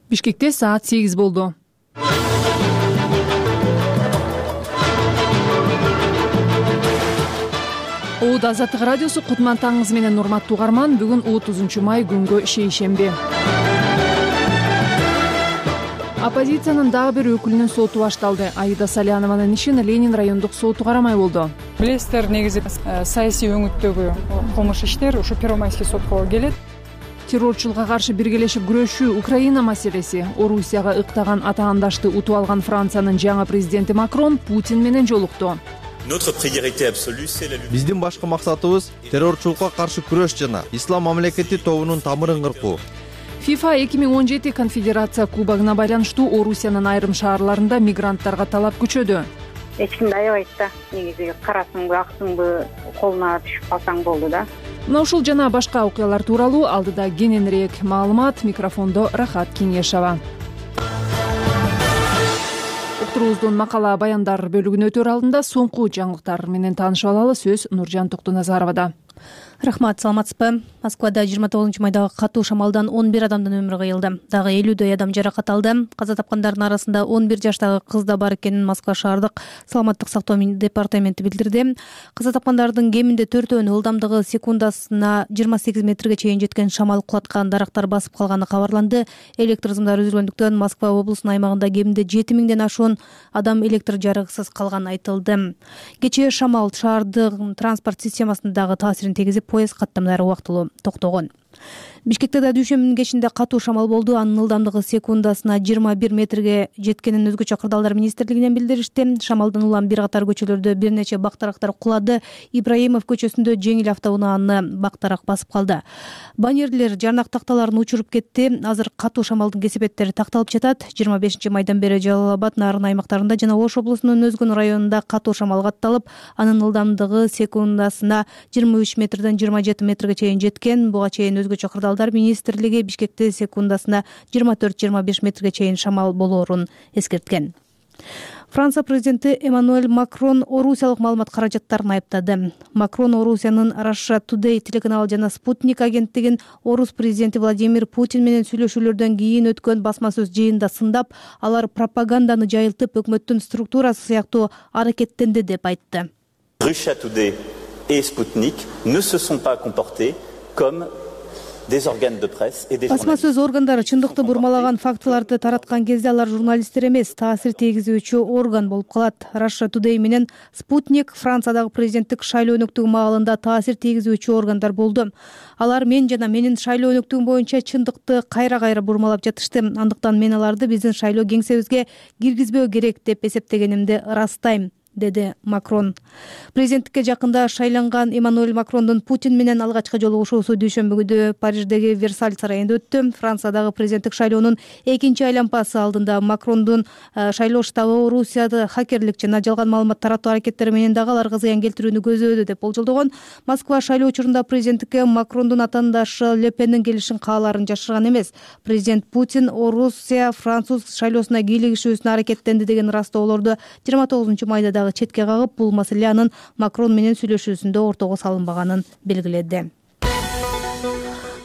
Бишкекте саат 8 болду. ООД Азаттык радиосу кутман таңыңыз менен урматтуу угарман. Бүгүн 30 май күнгө шейшемби. Оппозициянын дагы бир өкүлүнүн соту башталды. Аида Салянованын ишин Ленин райондук соту карамай болду. Билесиздер, негизи саясий өңүттөгү кылмыш иштер ушу Первомайский сотко келет. Террорчулукка каршы биргелешип күрөшүү Украина маселеси. Орусияга ыктаган атаандашты утуп алган Франциянын жаңы президенти Макрон Путин менен жолукту. Биздин башкы максатыбыз террорчулукка каршы күрөш жана ислам мамлекети тобунун тамырын кыркуу. FIFA 2017 конфедерация кубогуна байланыштуу Орусиянын айрым шаарларында мигранттарга талап күчөдү. Эч кимди аябайт да, негизи карасыңбы, аксыңбы, колуна түшүп калсаң болду да. Мына ушул жана башка окуялар тууралуу алдыда кененирээк маалымат. Микрофондо Рахат Кеңешова. Уктуруубуздун макала баяндар бөлүгүнө өтөр алдында соңку жаңылыктар менен таанышып алалы. Сөз Нуржан Токтоназаровада. Рахмат, саламатсызбы? Москвада 29 майдагы катуу шамалдан 11 адамдын өмүрү кыйылды. Дагы 50дөй адам жаракат алды. Каза тапкандардын арасында 11 жаштагы кыз да бар экенин Москва шаардык саламаттык сактоо департаменти билдирди. Каза тапкандардын кеминде 4-өөнү ылдамдыгы секундасына 28 метрге чейин жеткен шамал кулаткан дарактар басып калганы кабарланды. Электр сымдары үзүлгөндүктөн Москва облусунун аймагында кеминде 7000ден ашуун адам электр жарыгысыз калганы айтылды. Кечээ шамал шаардык транспорт системасына дагы таасирин тийгизип, поезд каттамдары убактылуу токтогон. Бишкекте да дүйшөмбүнүн кечинде катуу шамал болду. Анын ылдамдыгы секундасына 21 метрге жеткенин өзгөчө кырдаалдар министрлигинен билдиришти. Шамалдан улам бир катар көчөлөрдө бир нече бактарактар кулады. Ибраимов көчөсүндө жеңил автоунааны бактарак басып калды. Баннерлер, жарнак такталарын учуруп кетти. Азыр катуу шамалдын кесепеттери такталып жатат. 25 майдан бери Жалал Абад, Нарын аймактарында жана Ош облусунун өзгөн районунда катуу шамал катталып, анын ылдамдыгы секундасына 23 метрден 27 метрге чейин жеткен. Буга чейин өзгөчө кырдаалдар министрлиги Бишкекте секундасына 24-25 метрге чейин шамал болоорун эскерткен. Франция президенти Эммануэль Макрон орусиялык маалымат каражаттарын айыптады. Макрон Орусиянын Russia Today телеканалы жана Спутник агенттигин орус президенти Владимир Путин менен сүйлөшүүлөрдөн кийин өткөн басма сөз жыйынында сындап, алар пропаганданы жайылтып, өкмөттүн структурасы сыяктуу аракеттенди деп айтты. Russia Today et Sputnik ne se sont pas comportés comme des organes de presse et des басма journalistes. сөз органдары чындыкты бурмалаган фактыларды тараткан кезде алар журналисттер эмес, таасир тийгизүүчү орган болуп калат. Russia Today менен Спутник Франциядагы президенттик шайлоо өнөктүгү маалында таасир тийгизүүчү органдар болду. Алар мен жана менин шайлоо өнөктүгүм боюнча чындыкты кайра-кайра бурмалап жатышты. Андыктан мен аларды биздин шайлоо кеңсебизге киргизбөө керек деп эсептегенимди ырастайм, деди Макрон. Президенттикке жакында шайланган Эммануэль Макрондун Путин менен алгачкы жолугушуусу дүйшөмбү күнү Париждеги Версаль сарайында өттү. Франциядагы президенттик шайлоонун экинчи айлампасы алдында Макрондун шайлоо штабы Орусияда хакерлик жана жалган маалымат таратуу аракеттери менен дагы аларга зыян келтирүүнү көзөдү деп болжолдогон. Москва шайлоо учурунда президенттикке Макрондун атаандашы Ле Пеннин келишин каалаарын жашырган эмес. Президент Путин Орусия француз шайлоосуна кийлигишүүсүнө аракеттенди деген ырастоолорду 29 майда четке кагып, бул маселе анын Макрон менен сүйлөшүүсүндө ортого салынбаганын белгиледи.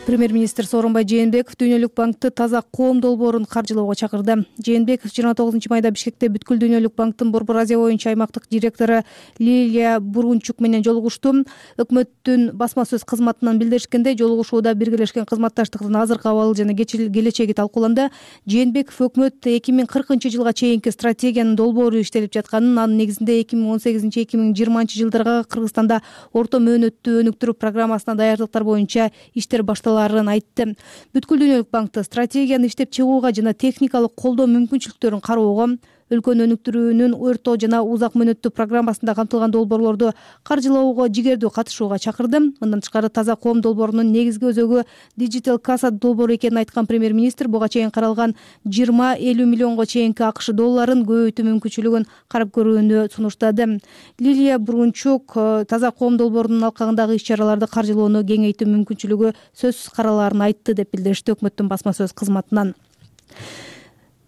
Премьер-министр Сооронбай Жээнбеков Дүйнөлүк банкты таза коом долбоорун каржылоого чакырды. Жээнбеков 29 майда Бишкекте Бүткүл Дүйнөлүк банктын Борбор Азия боюнча аймактык директору Лилия Бурунчук менен жолугушту. Өкмөттүн басма сөз кызматынан билдиришкендей, жолугушууда биргелешкен кызматташтыктын азыркы абалы жана келечеги талкууланды. Жээнбеков өкмөт 2040-жылга чейинки стратегиянын долбоору иштелип жатканын, анын негизинде 2018-2020 жылдарга Кыргызстанда орто мөөнөттүү өнүктүрүү программасына даярдыктар боюнча иштер башталарын айтты. Бүткүл Дүйнөлүк банкты стратегияны иштеп чыгууга жана техникалык колдоо мүмкүнчүлүктөрүн кароого, өлкөнү өнүктүрүүнүн орто жана узак мөөнөттүү программасында камтылган долбоорлорду каржылоого жигердүү катышууга чакырды. Мындан тышкары таза коом долбоорунун негизги өзөгү Digital Casa долбоору экенин айткан премьер-министр буга чейин каралган 20-50 миллионго чейинки АКШ долларын көбөйтүү мүмкүнчүлүгүн карап көрүүнү сунуштады. Лилия Бурунчук таза коом долбоорунун алкагындагы иш-чараларды каржылоону кеңейтүү мүмкүнчүлүгү сөзсүз каралаарын айтты деп билдиришти өкмөттүн басма сөз кызматынан.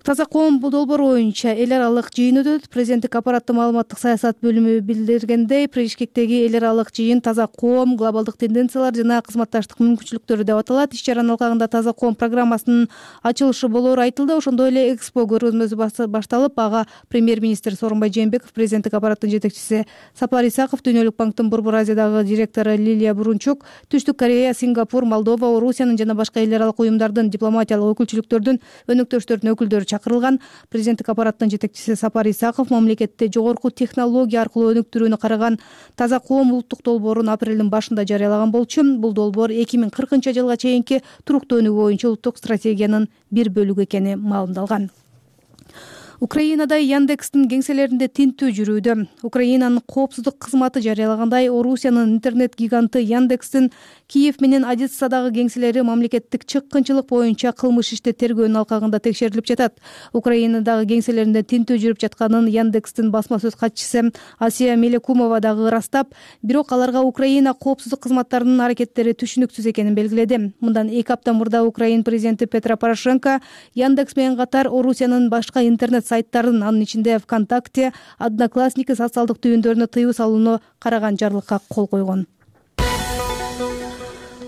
Таза коом долбоору боюнча эл аралык жыйын өтөт. Президенттик аппараттын маалыматтык саясат бөлүмү билдиргендей, Бишкектеги эл аралык жыйын таза коом, глобалдык тенденциялар жана кызматташтык мүмкүнчүлүктөрү деп аталат. Иш-чаранын алкагында таза коом программасынын ачылышы болоору айтылды. Ошондой эле экспо көргөзмөсү башталып, ага премьер-министр Сооронбай Жээнбеков, президенттик аппараттын жетекчиси Сапар Исаков, Дүйнөлүк банктын Борбор Азиядагы директору Лилия Бурунчук, Түштүк Корея, Сингапур, Молдова, Орусиянын жана башка эл аралык уюмдардын дипломатиялык өкүлчүлүктөрдүн өнөктөштөрүнүн өкүлдөрү чакырылган. Президенттик аппараттын жетекчиси Сапар Исаков мамлекетте жогорку технология аркылуу өнүктүрүүнү караган таза коом улуттук долбоорун апрелдин башында жарыялаган болчу. Бул долбоор 2040-жылга чейинки туруктуу өнүгүү боюнча улуттук стратегиянын бир бөлүгү экени маалымдалган. Украинада Яндекстин кеңселеринде тинтүү жүрүүдө. Украинанын коопсуздук кызматы жарыялагандай, Орусиянын интернет гиганты Яндекстин Киев менен Одессадагы кеңселери мамлекеттик чыккынчылык боюнча кылмыш ишти тергөөнүн алкагында текшерилип жатат. Украинадагы кеңселеринде тинтүү жүрүп жатканын Яндекстин басма сөз катчысы Асия Мелекумова дагы ырастап, бирок аларга Украина коопсуздук кызматтарынын аракеттери түшүнүксүз экенин белгиледи. Мындан 2 апта мурда Украин президенти Петро Порошенко Яндекс менен катар Орусиянын башка интернет сайттарын, анын ичинде ВКонтакте, Одноклассники социалдык түйүндөрүнө тыюу салууну караган жарлыкка кол койгон.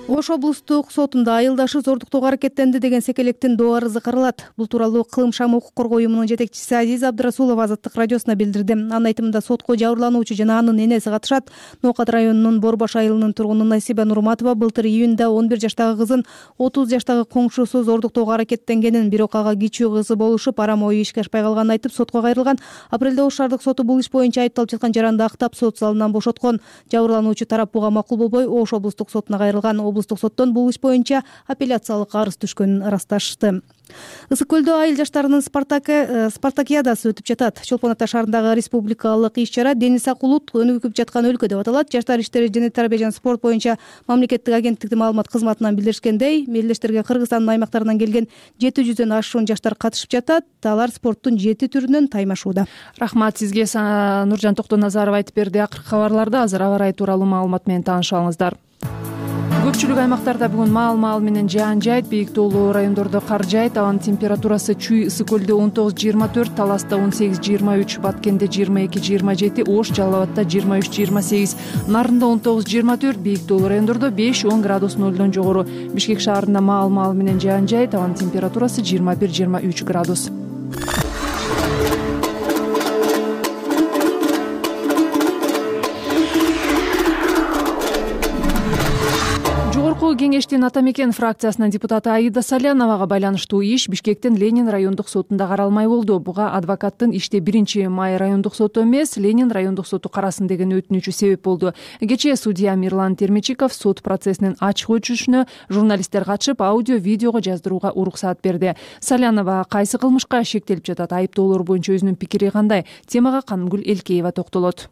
Ош облустук сотунда айылдашы зордуктоого аракеттенди деген секелектин доо арызы каралат. Бул тууралуу Кылым шам укук коргоо уюмунун жетекчиси Азиза Абдрасулова Азаттык радиосуна билдирди. Анын айтымында сотко жабырлануучу жана анын энеси катышат. Ноокат районунун Борбаш айылынын тургуну Насиба Нурматова былтыр июнда 11 жаштагы кызын 30 жаштагы коңшусу зордуктоого аракеттенгенин, бирок ага кичүү кызы болушуп, арам ою ишке ашпай калганын айтып, сотко кайрылган. Апрелде Ош шаардык соту бул иш боюнча айыпталып жаткан жаранды актап, сот залынан бошоткон. Жабырлануучу тарап буга макул болбой, Ош облустук сотуна кайрылган. Облустук соттон бул иш боюнча апелляциялык арыз түшкөнүн ырасташты. Ысык көлдө айыл жаштарынын спартакиадасы өтүп жатат. Чолпон Ата шаарындагы республикалык иш-чара Дени Сакулут өнүгүп жаткан өлкө деп аталат. Жаштар иштери жана тарбия жана спорт боюнча мамлекеттик агенттиктин маалымат кызматынан билдиришкендей, мелдештерге Кыргызстандын аймактарынан келген 700дөн ашуун жаштар катышып жатат. Алар спорттун 7 түрүнөн таймашууда. Рахмат сизге, Нуржан Токтоназарова айтып берди. Акыркы кабарларда азыр аба ырайы тууралуу маалымат менен тааныша алыңыздар. Көпчүлүк аймактарда бүгүн маал менен жаан жайт, бийик тоолуу райондордо кар жайт. Абанын температурасы Чүй ысык көлдө 19-24, Таласта 18-23, Баткенде 22-27, Ош, Жалал Абадда 23-28, Нарында 19-24, бийик тоолуу райондордо 5-10 градус нөлдөн жогору. Бишкек шаарында маал менен жаан жайт, абанын температурасы 21-23 градус. Кеңештин Ата мекен фракциясынын депутаты Аида Саляновага байланыштуу иш Бишкектин Ленин райондук сотунда каралмай болду. Буга адвокаттын иште 1-май райондук соту эмес, Ленин райондук соту карасын деген өтүнүчү себеп болду. Кечээ судья Мирлан Термичиков сот процессинин ачык өтүшүнө журналисттер катышып, аудио видеого жаздырууга уруксаат берди. Салянова кайсы кылмышка шектелип жатат, айыптоолор боюнча өзүнүн пикири кандай? Темага Канымгүл Элкеева токтолот.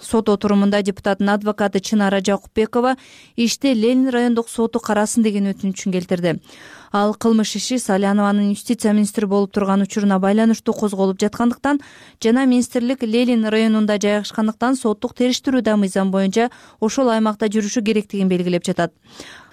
Сот отурумунда депутаттын адвокаты Чынара Жакупбекова иште Ленин райондук соту карасын деген өтүнүчүн келтирди. Ал кылмыш иши Салянованын юстиция министри болуп турган учуруна байланыштуу козголуп жаткандыктан жана министрлик Ленин районунда жайгашкандыктан соттук териштирүү да мыйзам боюнча ошол аймакта жүрүшү керектигин белгилеп жатат.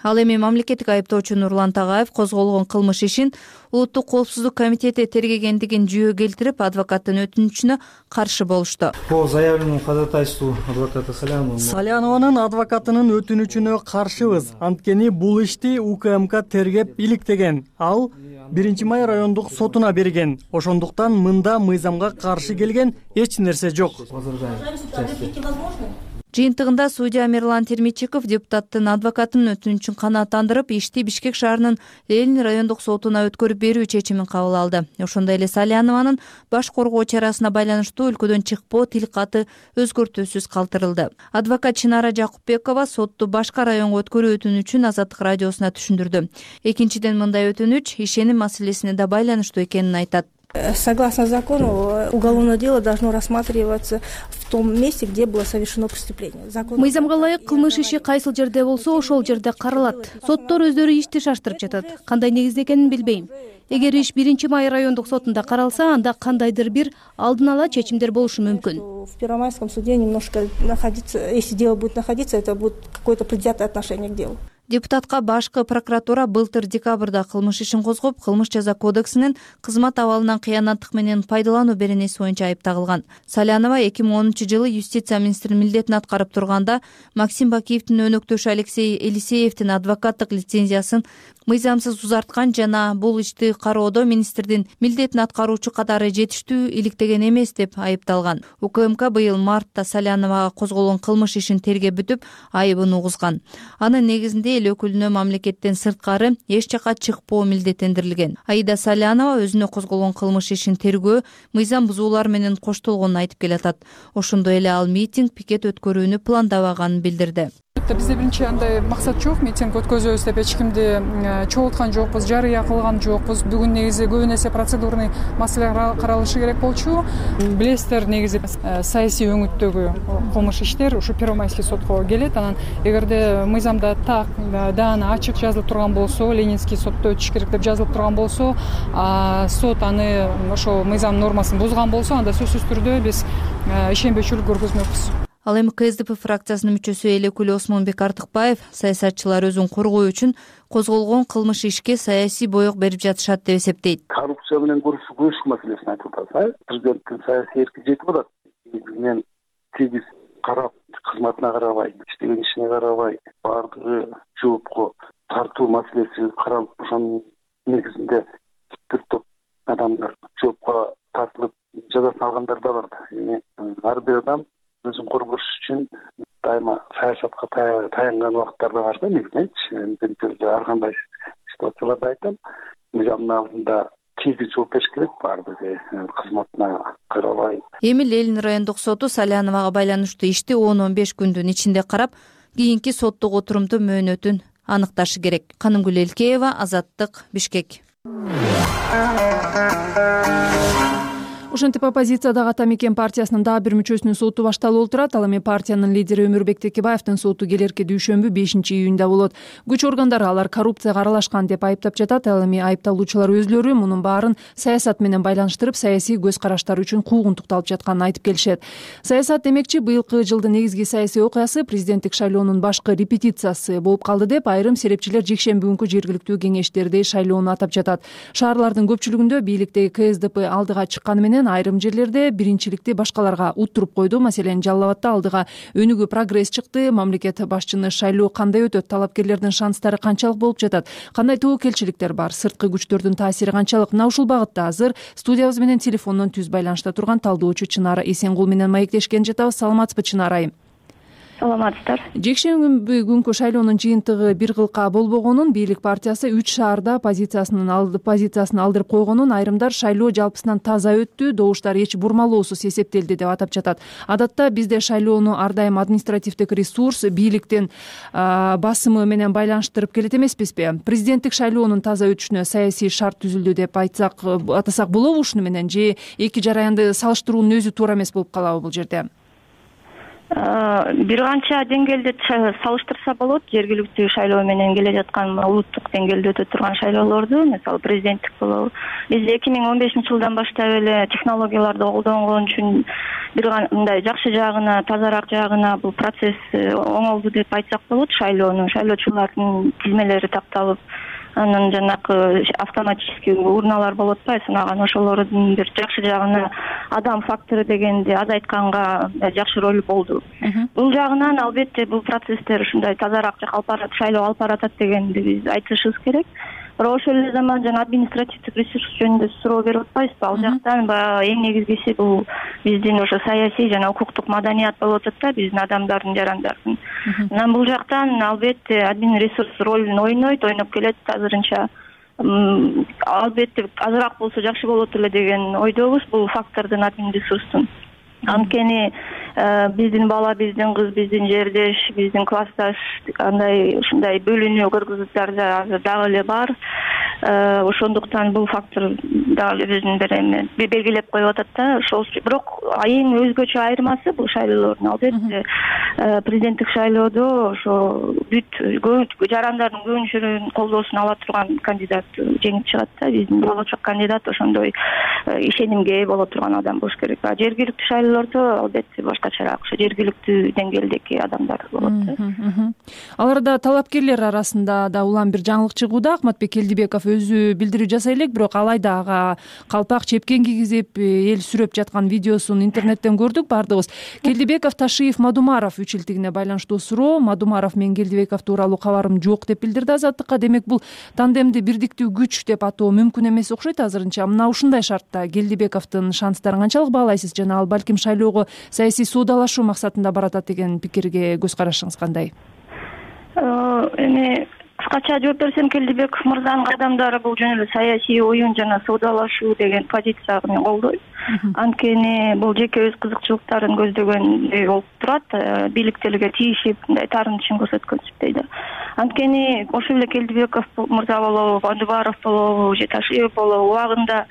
Ал эми мамлекеттик айыптоочу Нурлан Тагаев козголгон кылмыш ишин Улуттук коопсуздук комитети тергегендигин жүйө келтирип, адвокаттын өтүнүчүнө каршы болушту. По заявленному ходатайству адвоката Салянованын адвокатынын өтүнүчүнө каршыбыз. Анткени бул ишти УКМК тергеп иликтеген. Ал 1-май райондук сотуна берген. Ошондуктан мында мыйзамга каршы келген эч нерсе жок. Жыйынтыгында судья Мирлан Термичиков депутаттын адвокатынын өтүнүчүн канааттандырып, ишти Бишкек шаарынын Ленин райондук сотуна өткөрүп берүү чечимин кабыл алды. Ошондой эле Салянованын баш коргоо чарасына байланыштуу өлкөдөн чыкпоо тилкаты өзгөртүүсүз калтырылды. Адвокат Чынара Жакупбекова сотту башка районго өткөрүү өтүнүчүн Азаттык радиосуна түшүндүрдү. Экинчиден, мындай өтүнүч ишеним маселесине да байланыштуу экенин айтат. Согласно закону, уголовное дело должно рассматриваться в том месте, где было совершено преступление. Мыйзамга ылайык кылмыш иши кайсыл жерде болсо, ошол жерде каралат. Соттор өздөрү ишти шаштырып жатат. Кандай негизде экенин билбейм. Эгер иш 1-май райондук сотунда каралса, анда кандайдыр бир алдын ала чечимдер болушу мүмкүн. В Первомайском суде немножко находиться, если дело будет находиться, это будет какое-то предвзятое отношение к делу. Депутатка башкы прокуратура былтыр декабрда кылмыш ишин козгоп, кылмыш жаза кодексинин кызмат абалынан кыянаттык менен пайдалануу беренеси боюнча айып тагылган. Салянова 2010-жылы юстиция министринин милдетин аткарып турганда Максим Бакиевдин өнөктөшү Алексей Елисеевдин адвокаттык лицензиясын мыйзамсыз узарткан жана бул ишти кароодо министрдин милдетин аткаруучу катары жетиштүү иликтеген эмес деп айыпталган. УКМК быйыл мартта Саляновага козголгон кылмыш ишин тергеп бүтүп, айыбын угузган. Анын негизинде эл өкүлүнө мамлекеттен сырткары эч жакка чыкпоо милдеттендирилген. Аида Салянова өзүнө козголгон кылмыш ишин тергөө мыйзам бузуулар менен коштолгонун айтып келатат. Ошондой эле ал митинг, пикет өткөрүүнү пландабаганын билдирди. Бизде биринчи андай максат жок, митинг өткөзөбүз деп эч кимди чогулткан жокпуз, жарыя кылган жокпуз. Бүгүн негизи көбүн эсе процедурный маселелер каралышы керек болчу. Билесиздер, негизи саясий өңүттөгү кылмыш иштер ушу Первомайский сотко келет. Анан эгерде мыйзамда так даана ачык жазылып турган болсо, Ленинский сотто өтүш керек деп жазылып турган болсо, сот аны ошо мыйзам нормасын бузган болсо, анда сөзсүз түрдө биз ишенбөөчүлүк көргөзмөкпүз. Ал эми КСДП фракциясынын мүчөсү эл өкүлү Осмонбек Артыкбаев саясатчылар өзүн коргоо үчүн козголгон кылмыш ишке саясий боек берип жатышат деп эсептейт. Коррупция менен күрөшүү маселесин айтып атабыз. Президенттин саясий эрки жетип атат. Мен тегиз карап, кызматына карабай, иштеген ишине карабай, баардыгы жоопко тартуу маселеси каралып, ошонун негизинде бир топ адамдар жоопко тартылып жазасын алгандар да бар. Ар бир адам өзүн коргош үчүн дайыма саясатка таянган убакыттар да бар да, негизинчи ар кандай ситуацияларда айтам, мыйзамдын алдында тегиз жооп бериш керек, баардыгы кызматына карабай. Эми Ленин райондук соту Саляновага байланыштуу ишти 10-15 күндүн ичинде карап, кийинки соттук отурумдун мөөнөтүн аныкташы керек. Канымгүл Элкеева, Азаттык, Бишкек. Ошентип оппозициядагы Ата Мекен партиясынын дагы бир мүчөсүнүн соту башталып отурат. Ал эми партиянын лидери Өмүрбек Текебаевдин соту келерки дүйшөмбү 5-июнда болот. Күч органдары алар коррупцияга аралашкан деп айыптап жатат. Ал эми айыпталуучулар өзлөрү мунун баарын саясат менен байланыштырып, саясий көз караштары үчүн куугунтукталып жатканын айтып келишет. Саясат демекчи, быйылкы жылдын негизги саясий окуясы президенттик шайлоонун башкы репетициясы болуп калды деп айрым серепчилер жекшемби күнкү жергиликтүү кеңештерди шайлоону атап жатат. Шаарлардын көпчүлүгүндө бийликтеги КСДП алдыга чыкканы менен айрым жерлерде биринчиликти башкаларга уттуруп койду. Маселен, Жалал Абадта алдыга өнүгүү прогресс чыкты. Мамлекет башчыны шайлоо кандай өтөт? Талапкерлердин шанстары канчалык болуп жатат? Кандай тобокелчиликтер бар? Сырткы күчтөрдүн таасири канчалык? Мына ушул багытта азыр студиябыз менен телефондон түз байланышта турган талдоочу Чынара Эсенгул менен маектешкен жатабыз. Саламатсызбы, Чынара айым? Саламатсыздар. Жекшемби күнкү шайлоонун жыйынтыгы бир кылка болбогонун, бийлик партиясы 3 шаарда позициясын алдырып койгонун, айрымдар шайлоо жалпысынан таза өттү, добуштар эч бурмалоосуз эсептелди деп атап жатат. Адатта бизде шайлоону ар дайым административдик ресурс, бийликтин басымы менен байланыштырып келет эмеспизби? Президенттик шайлоонун таза өтүшүнө саясий шарт түзүлдү деп атасак болобу ушуну менен, же эки жараянды салыштыруунун өзү туура эмес болуп калабы бул жерде? Бир канча деңгээлде салыштырса болот. Жергиликтүү шайлоо менен келе жаткан улуттук деңгээлде өтө турган шайлоолорду, мисалы президенттик болобу. Биз 2015-жылдан баштап эле технологияларды колдонгон үчүн бир кандай жакшы жагына, тазараак жагына бул процесс оңолду деп айтсак болот. Шайлоочулардын тизмелери такталып, анан жанагы автоматический урналар болуп атпайбы, санаган ошолордун бир жакшы жагына адам фактору дегенди азайтканга жакшы роль болду. Бул жагынан албетте бул процесстер ушундай тазараак шайлоо алып баратат дегенди биз айтышыбыз керек. Бирок ошол эле заман жана административдик ресурс жөнүндө суроо берип атпайбызбы? Ал жактан эң негизгиси бул биздин ошо саясий жана укуктук маданият болуп атат да, биздин адамдардын, жарандардын. Анан бул жактан албетте админ ресурс ролун ойноп келет азырынча. Албетте азыраак болсо жакшы болот эле деген ойдобуз бул фактордун, админ ресурстун. Анткени биздин бала, биздин кыз, биздин жердеш, биздин классташ андай ушундай бөлүнүү кыргыздарда азыр дагы эле бар. Ошондуктан бул фактор дагы өзүнүн бир эме белгилеп коюп атат да. Ошол бирок эң өзгөчө айырмасы бул шайлоолордун албетте президенттик шайлоодо ошо бүт жарандардын көбүнчөлүгүнүн колдоосун ала турган кандидат жеңип чыгат да. Биздин болочок кандидат ошондой ишенимге ээ боло турган адам болуш керек. Жергиликтүү шайлоолордо албетте башкачараак, ошо жергиликтүү деңгээлдеги адамдар болот да. Аларда талапкерлер арасында да улам бир жаңылык чыгууда. Акматбек Келдибеков өзү билдирүү жасай элек, бирок алайда ага калпак чепкен кийгизип эл сүрөп жаткан видеосун интернеттен көрдүк баардыгыбыз. Келдибеков, Ташиев, Мадумаров үчилтигине байланыштуу суроо. Мадумаров мен Келдибеков тууралуу кабарым жок деп билдирди Азаттыкка. Демек бул тандемди бирдиктүү күч деп атоо мүмкүн эмес окшойт азырынча. Мына ушундай шартта Келдибековдун шанстарын канчалык баалайсыз жана ал балким шайлоого саясий соодалашуу максатында баратат деген пикирге көз карашыңыз кандай? Эми кыскача жооп берсем, Келдибеков мырзанын кадамдары бул жөн эле саясий оюн жана соодалашуу деген позицияны мен колдойм. Анткени бул жеке өз кызыкчылыктарын көздөгөндөй болуп турат, бийликтерге тиешип мындай таарынышын көрсөткөнсүздөй да. Анткени ошол эле Келдибеков мырза болобу, Мадумаров болобу же Ташиев болобу убагында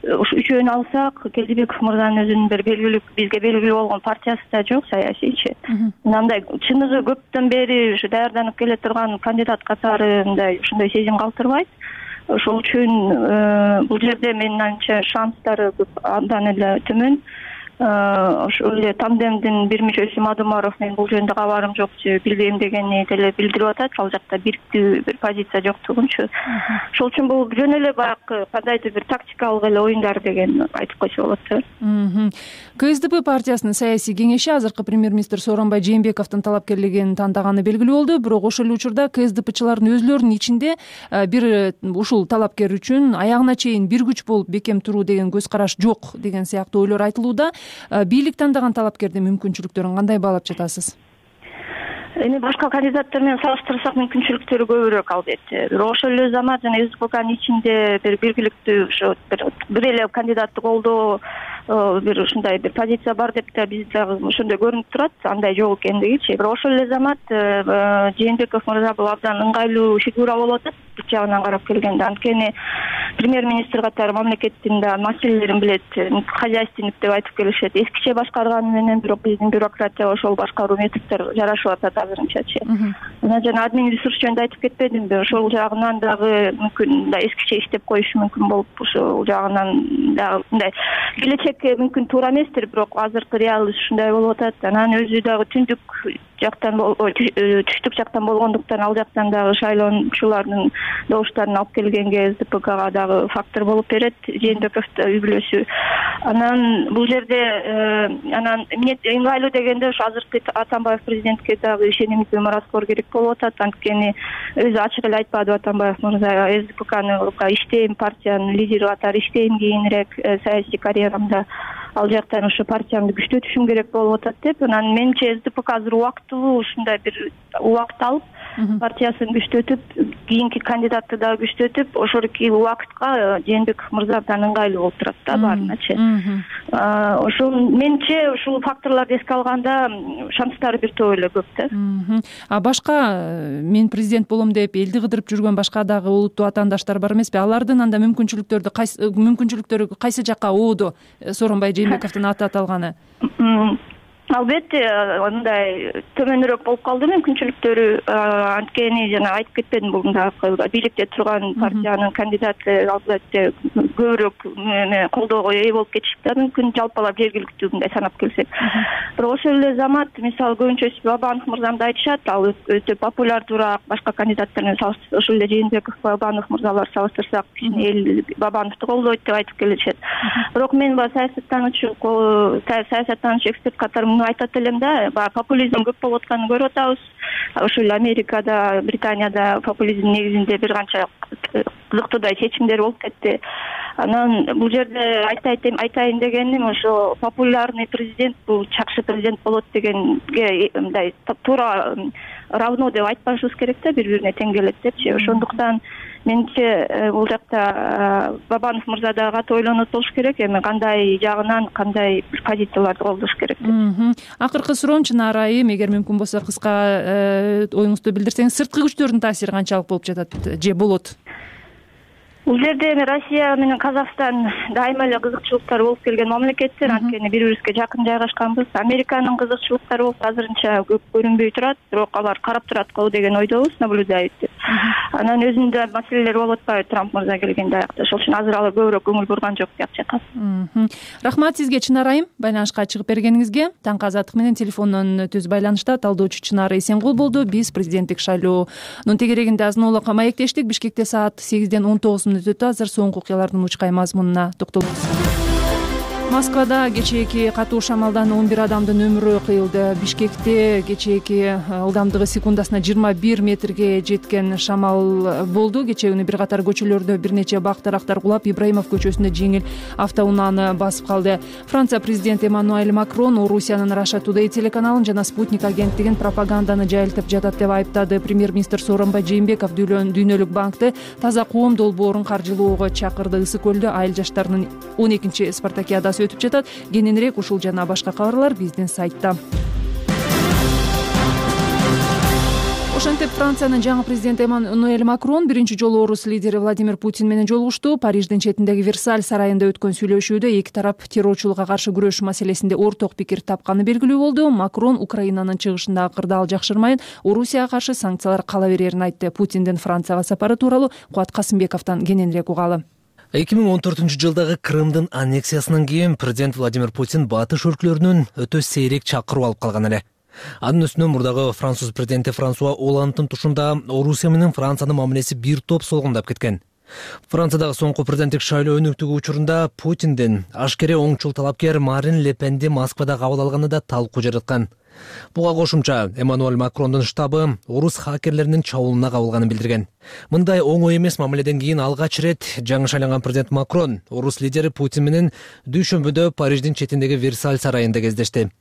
ушу үчөөнү алсак, Келдибеков мырзанын өзүнүн бир белгилүү бизге белгилүү болгон партиясы да жок, саясийчи. Мындай чыныгы көптөн бери ушу даярданып келе турган кандидат катары мындай ушундай сезим калтырбайт. Ошол үчүн бул жерде менин оюмча шанстары андан эле төмөн. Ошол эле тандемдин бир мүчөсү Мадумаров мен бул жөнүндө кабарым жок же билбейм дегени деле билдирип атат. Ал жакта бириктүү бир позиция жоктугунчу. Ошол үчүн бул жөн эле баягы кандайдыр бир тактикалык эле оюндар деген айтып койсо болот. КСДП партиясынын саясий кеңеши азыркы премьер-министр Сооронбай Жээнбековдун талапкерлигин тандаганы белгилүү болду. Бирок ошол эле учурда КСДПчылардын өзүлөрүнүн ичинде бир ушул талапкер үчүн аягына чейин бир күч болуп бекем туруу деген көз караш жок деген сыяктуу ойлор айтылууда. Бийлик тандаган талапкердин мүмкүнчүлүктөрүн кандай баалап жатасыз? Эми башка кандидаттар менен салыштырсак мүмкүнчүлүктөрү көбүрөөк албетте. Бирок ошол эле замат жана СДПКнын ичинде бир белгиликтүү ошо бир эле кандидатты колдоо бир ушундай бир позиция бар деп да биз дагы ошондой көрүнүп турат, андай жок экендигичи. Бирок ошол эле замат Жээнбеков мырза бул абдан ыңгайлуу фигура болуп атат бир жагынан карап келгенде. Анткени премьер-министр катары мамлекеттин да маселелерин билет, хозяйственник деп айтып келишет. Эскиче башкарганы менен бирок биздин бюрократия ошол башкаруу методдор жарашып атат азырынчачы. Жана админ ресурс жөнүндө айтып кетпедимби? Ошол жагынан дагы мүмкүн мындай эскиче иштеп коюшу мүмкүн болуп, ошол жагынан дагы мындай келечекке мүмкүн туура эместир, бирок азыркы реалдуу ушундай болуп атат. Анан өзү дагы түштүк жактан болгондуктан ал жактан дагы шайлоочулардын добуштарын алып келгенге СДПКга дагы фактор болуп берет, Жээнбековдун үй бүлөсү. Анан бул жерде анан эмне ыңгайлуу дегенде ошо азыркы Атамбаев президентке дагы ишенимдүү мураскор керек болуп атат. Анткени өзү ачык эле айтпадыбы Атамбаев мырза, СДПКны иштейм, партиянын лидери катары иштейм кийинирээк саясий карьерамда, ал жактан ошо партиямды күчтөтүшүм керек болуп атат деп. Анан менимче СДПК азыр убактылуу ушундай бир убакыт алып партиясын күчтөтүп, кийинки кандидатты дагы күчтөтүп, ошолки убакытка Жээнбеков мырза абдан ыңгайлуу болуп турат да баарыначы. Ошол менимче ушул факторлорду эске алганда шанстары бир топ эле көп да. А башка мен президент болом деп элди кыдырып жүргөн башка дагы олуттуу атаандаштар бар эмеспи? Алардын анда мүмкүнчүлүктөрү кайсы жакка оодо Сооронбай Жээнбековдун аты аталганы? Албетте мындай төмөнүрөөк болуп калды мүмкүнчүлүктөрү. Анткени жана айтып кетпедим, бул бийликте турган партиянын кандидаты албетте көбүрөөк колдоого ээ болуп кетиши да мүмкүн, жалпылап жергиликтүү мындай санап келсек. Бирок ошол эле замат мисалы көбүнчөсү Бабанов мырзамды айтышат, ал өтө популярдуураак башка кандидаттар менен салыштырсак, ошол эле Жээнбеков, Бабанов мырзалар салыштырсак эл Бабановду колдойт деп айтып келишет. Бирок мен саясаттануучу эксперт катары айтат элем да, популизм көп болуп атканын көрүп атабыз. Ошол эле Америкада, Британияда популизм негизинде бир канча кызыктуудай чечимдер болуп кетти. Анан бул жерде айтайын дегеним, ошо популярный президент бул жакшы президент болот дегенге мындай туура равно деп айтпашыбыз керек да, бири-бирине тең келет депчи. Ошондуктан менимче бул жакта Бабанов мырза дагы катуу ойлонот болуш керек. Эми кандай жагынан кандай бир позицияларды колдош керек деп. Акыркы суроом Чынара айым, эгер мүмкүн болсо кыска оюңузду билдирсеңиз, сырткы күчтөрдүн таасири канчалык болуп жатат же болот? Бул жерде эми Россия менен Казакстан дайыма эле кызыкчылыктар болуп келген мамлекеттер, анткени бири-бирибизге жакын жайгашканбыз. Американын кызыкчылыктары болсо азырынча көп көрүнбөй турат, бирок алар карап турат го деген ойдобуз, наблюдает деп. Анан өзүндө маселелер болуп атпайбы Трамп мырза келгенде аякта. Ошол үчүн азыр алар көбүрөөк көңүл бурган жок деп жатат. Рахмат сизге Чынара айым, байланышка чыгып бергениңизге. Таңкы азаттык менен телефондон түз байланышта талдоочу Чынара Эсенгул болду. Биз президенттик шайлоонун тегерегинде азын-аулак маектештик. Бишкекте саат 8ден 19 өтөт. Азыр соңку окуялардын учкай мазмунуна токтолобуз. Москвада кечээки катуу шамалдан 11 адамдын өмүрү кыйылды. Бишкекте кечээки ылдамдыгы секундасына 21 метрге жеткен шамал болду. Кечээ күнү бир катар көчөлөрдө бир нече бак дарактар кулап, Ибраимов көчөсүндө жеңил автоунааны басып калды. Франция президенти Эммануэль Макрон Орусиянын Russia Today телеканалын жана Спутник агенттигин пропаганданы жайылтып жатат деп айыптады. Премьер-министр Сооронбай Жээнбеков Дүйнөлүк банкты таза коом долбоорун каржылоого чакырды. Ысык көлдө айыл жаштарынын 12-чи спартакиадасы өтүп жатат. Кененирээк ушул жана башка кабарлар биздин сайтта. Ошентип Франциянын жаңы президенти Эммануэль Макрон биринчи жолу орус лидери Владимир Путин менен жолугушту. Париждин четиндеги Версаль сарайында өткөн сүйлөшүүдө эки тарап террорчулукка каршы күрөш маселесинде орток пикир тапканы белгилүү болду. Макрон Украинанын чыгышындагы кырдаал жакшырмайын, Орусияга каршы санкциялар кала берерин айтты. Путиндин Францияга сапары тууралуу Кубат Касымбековдон кененирээк угалы. 2014-жылдагы Крымдын аннексиясынан кийин президент Владимир Путин батыш өлкөлөрүнөн өтө сейрек чакыруу алып калган эле. Анын үстүнө мурдагы француз президенти Франсуа Олланддын тушунда Орусия менен Франциянын мамилеси бир топ солгундап кеткен. Франциядагы соңку президенттик шайлоо өнүктүгү учурунда Путиндин ашкере оңчул талапкер Марин Ле Пенди Москвада кабыл алганы да талкуу жараткан. Буга кошумча Эммануэль Макрондун штабы орус хакерлеринин чабуулуна кабылганын билдирген. Мындай оңой эмес мамиледен кийин алгач ирет жаңы шайланган президент Макрон орус лидери Путин менен дүйшөмбүдө Париждин четиндеги Версаль сарайында кездешти.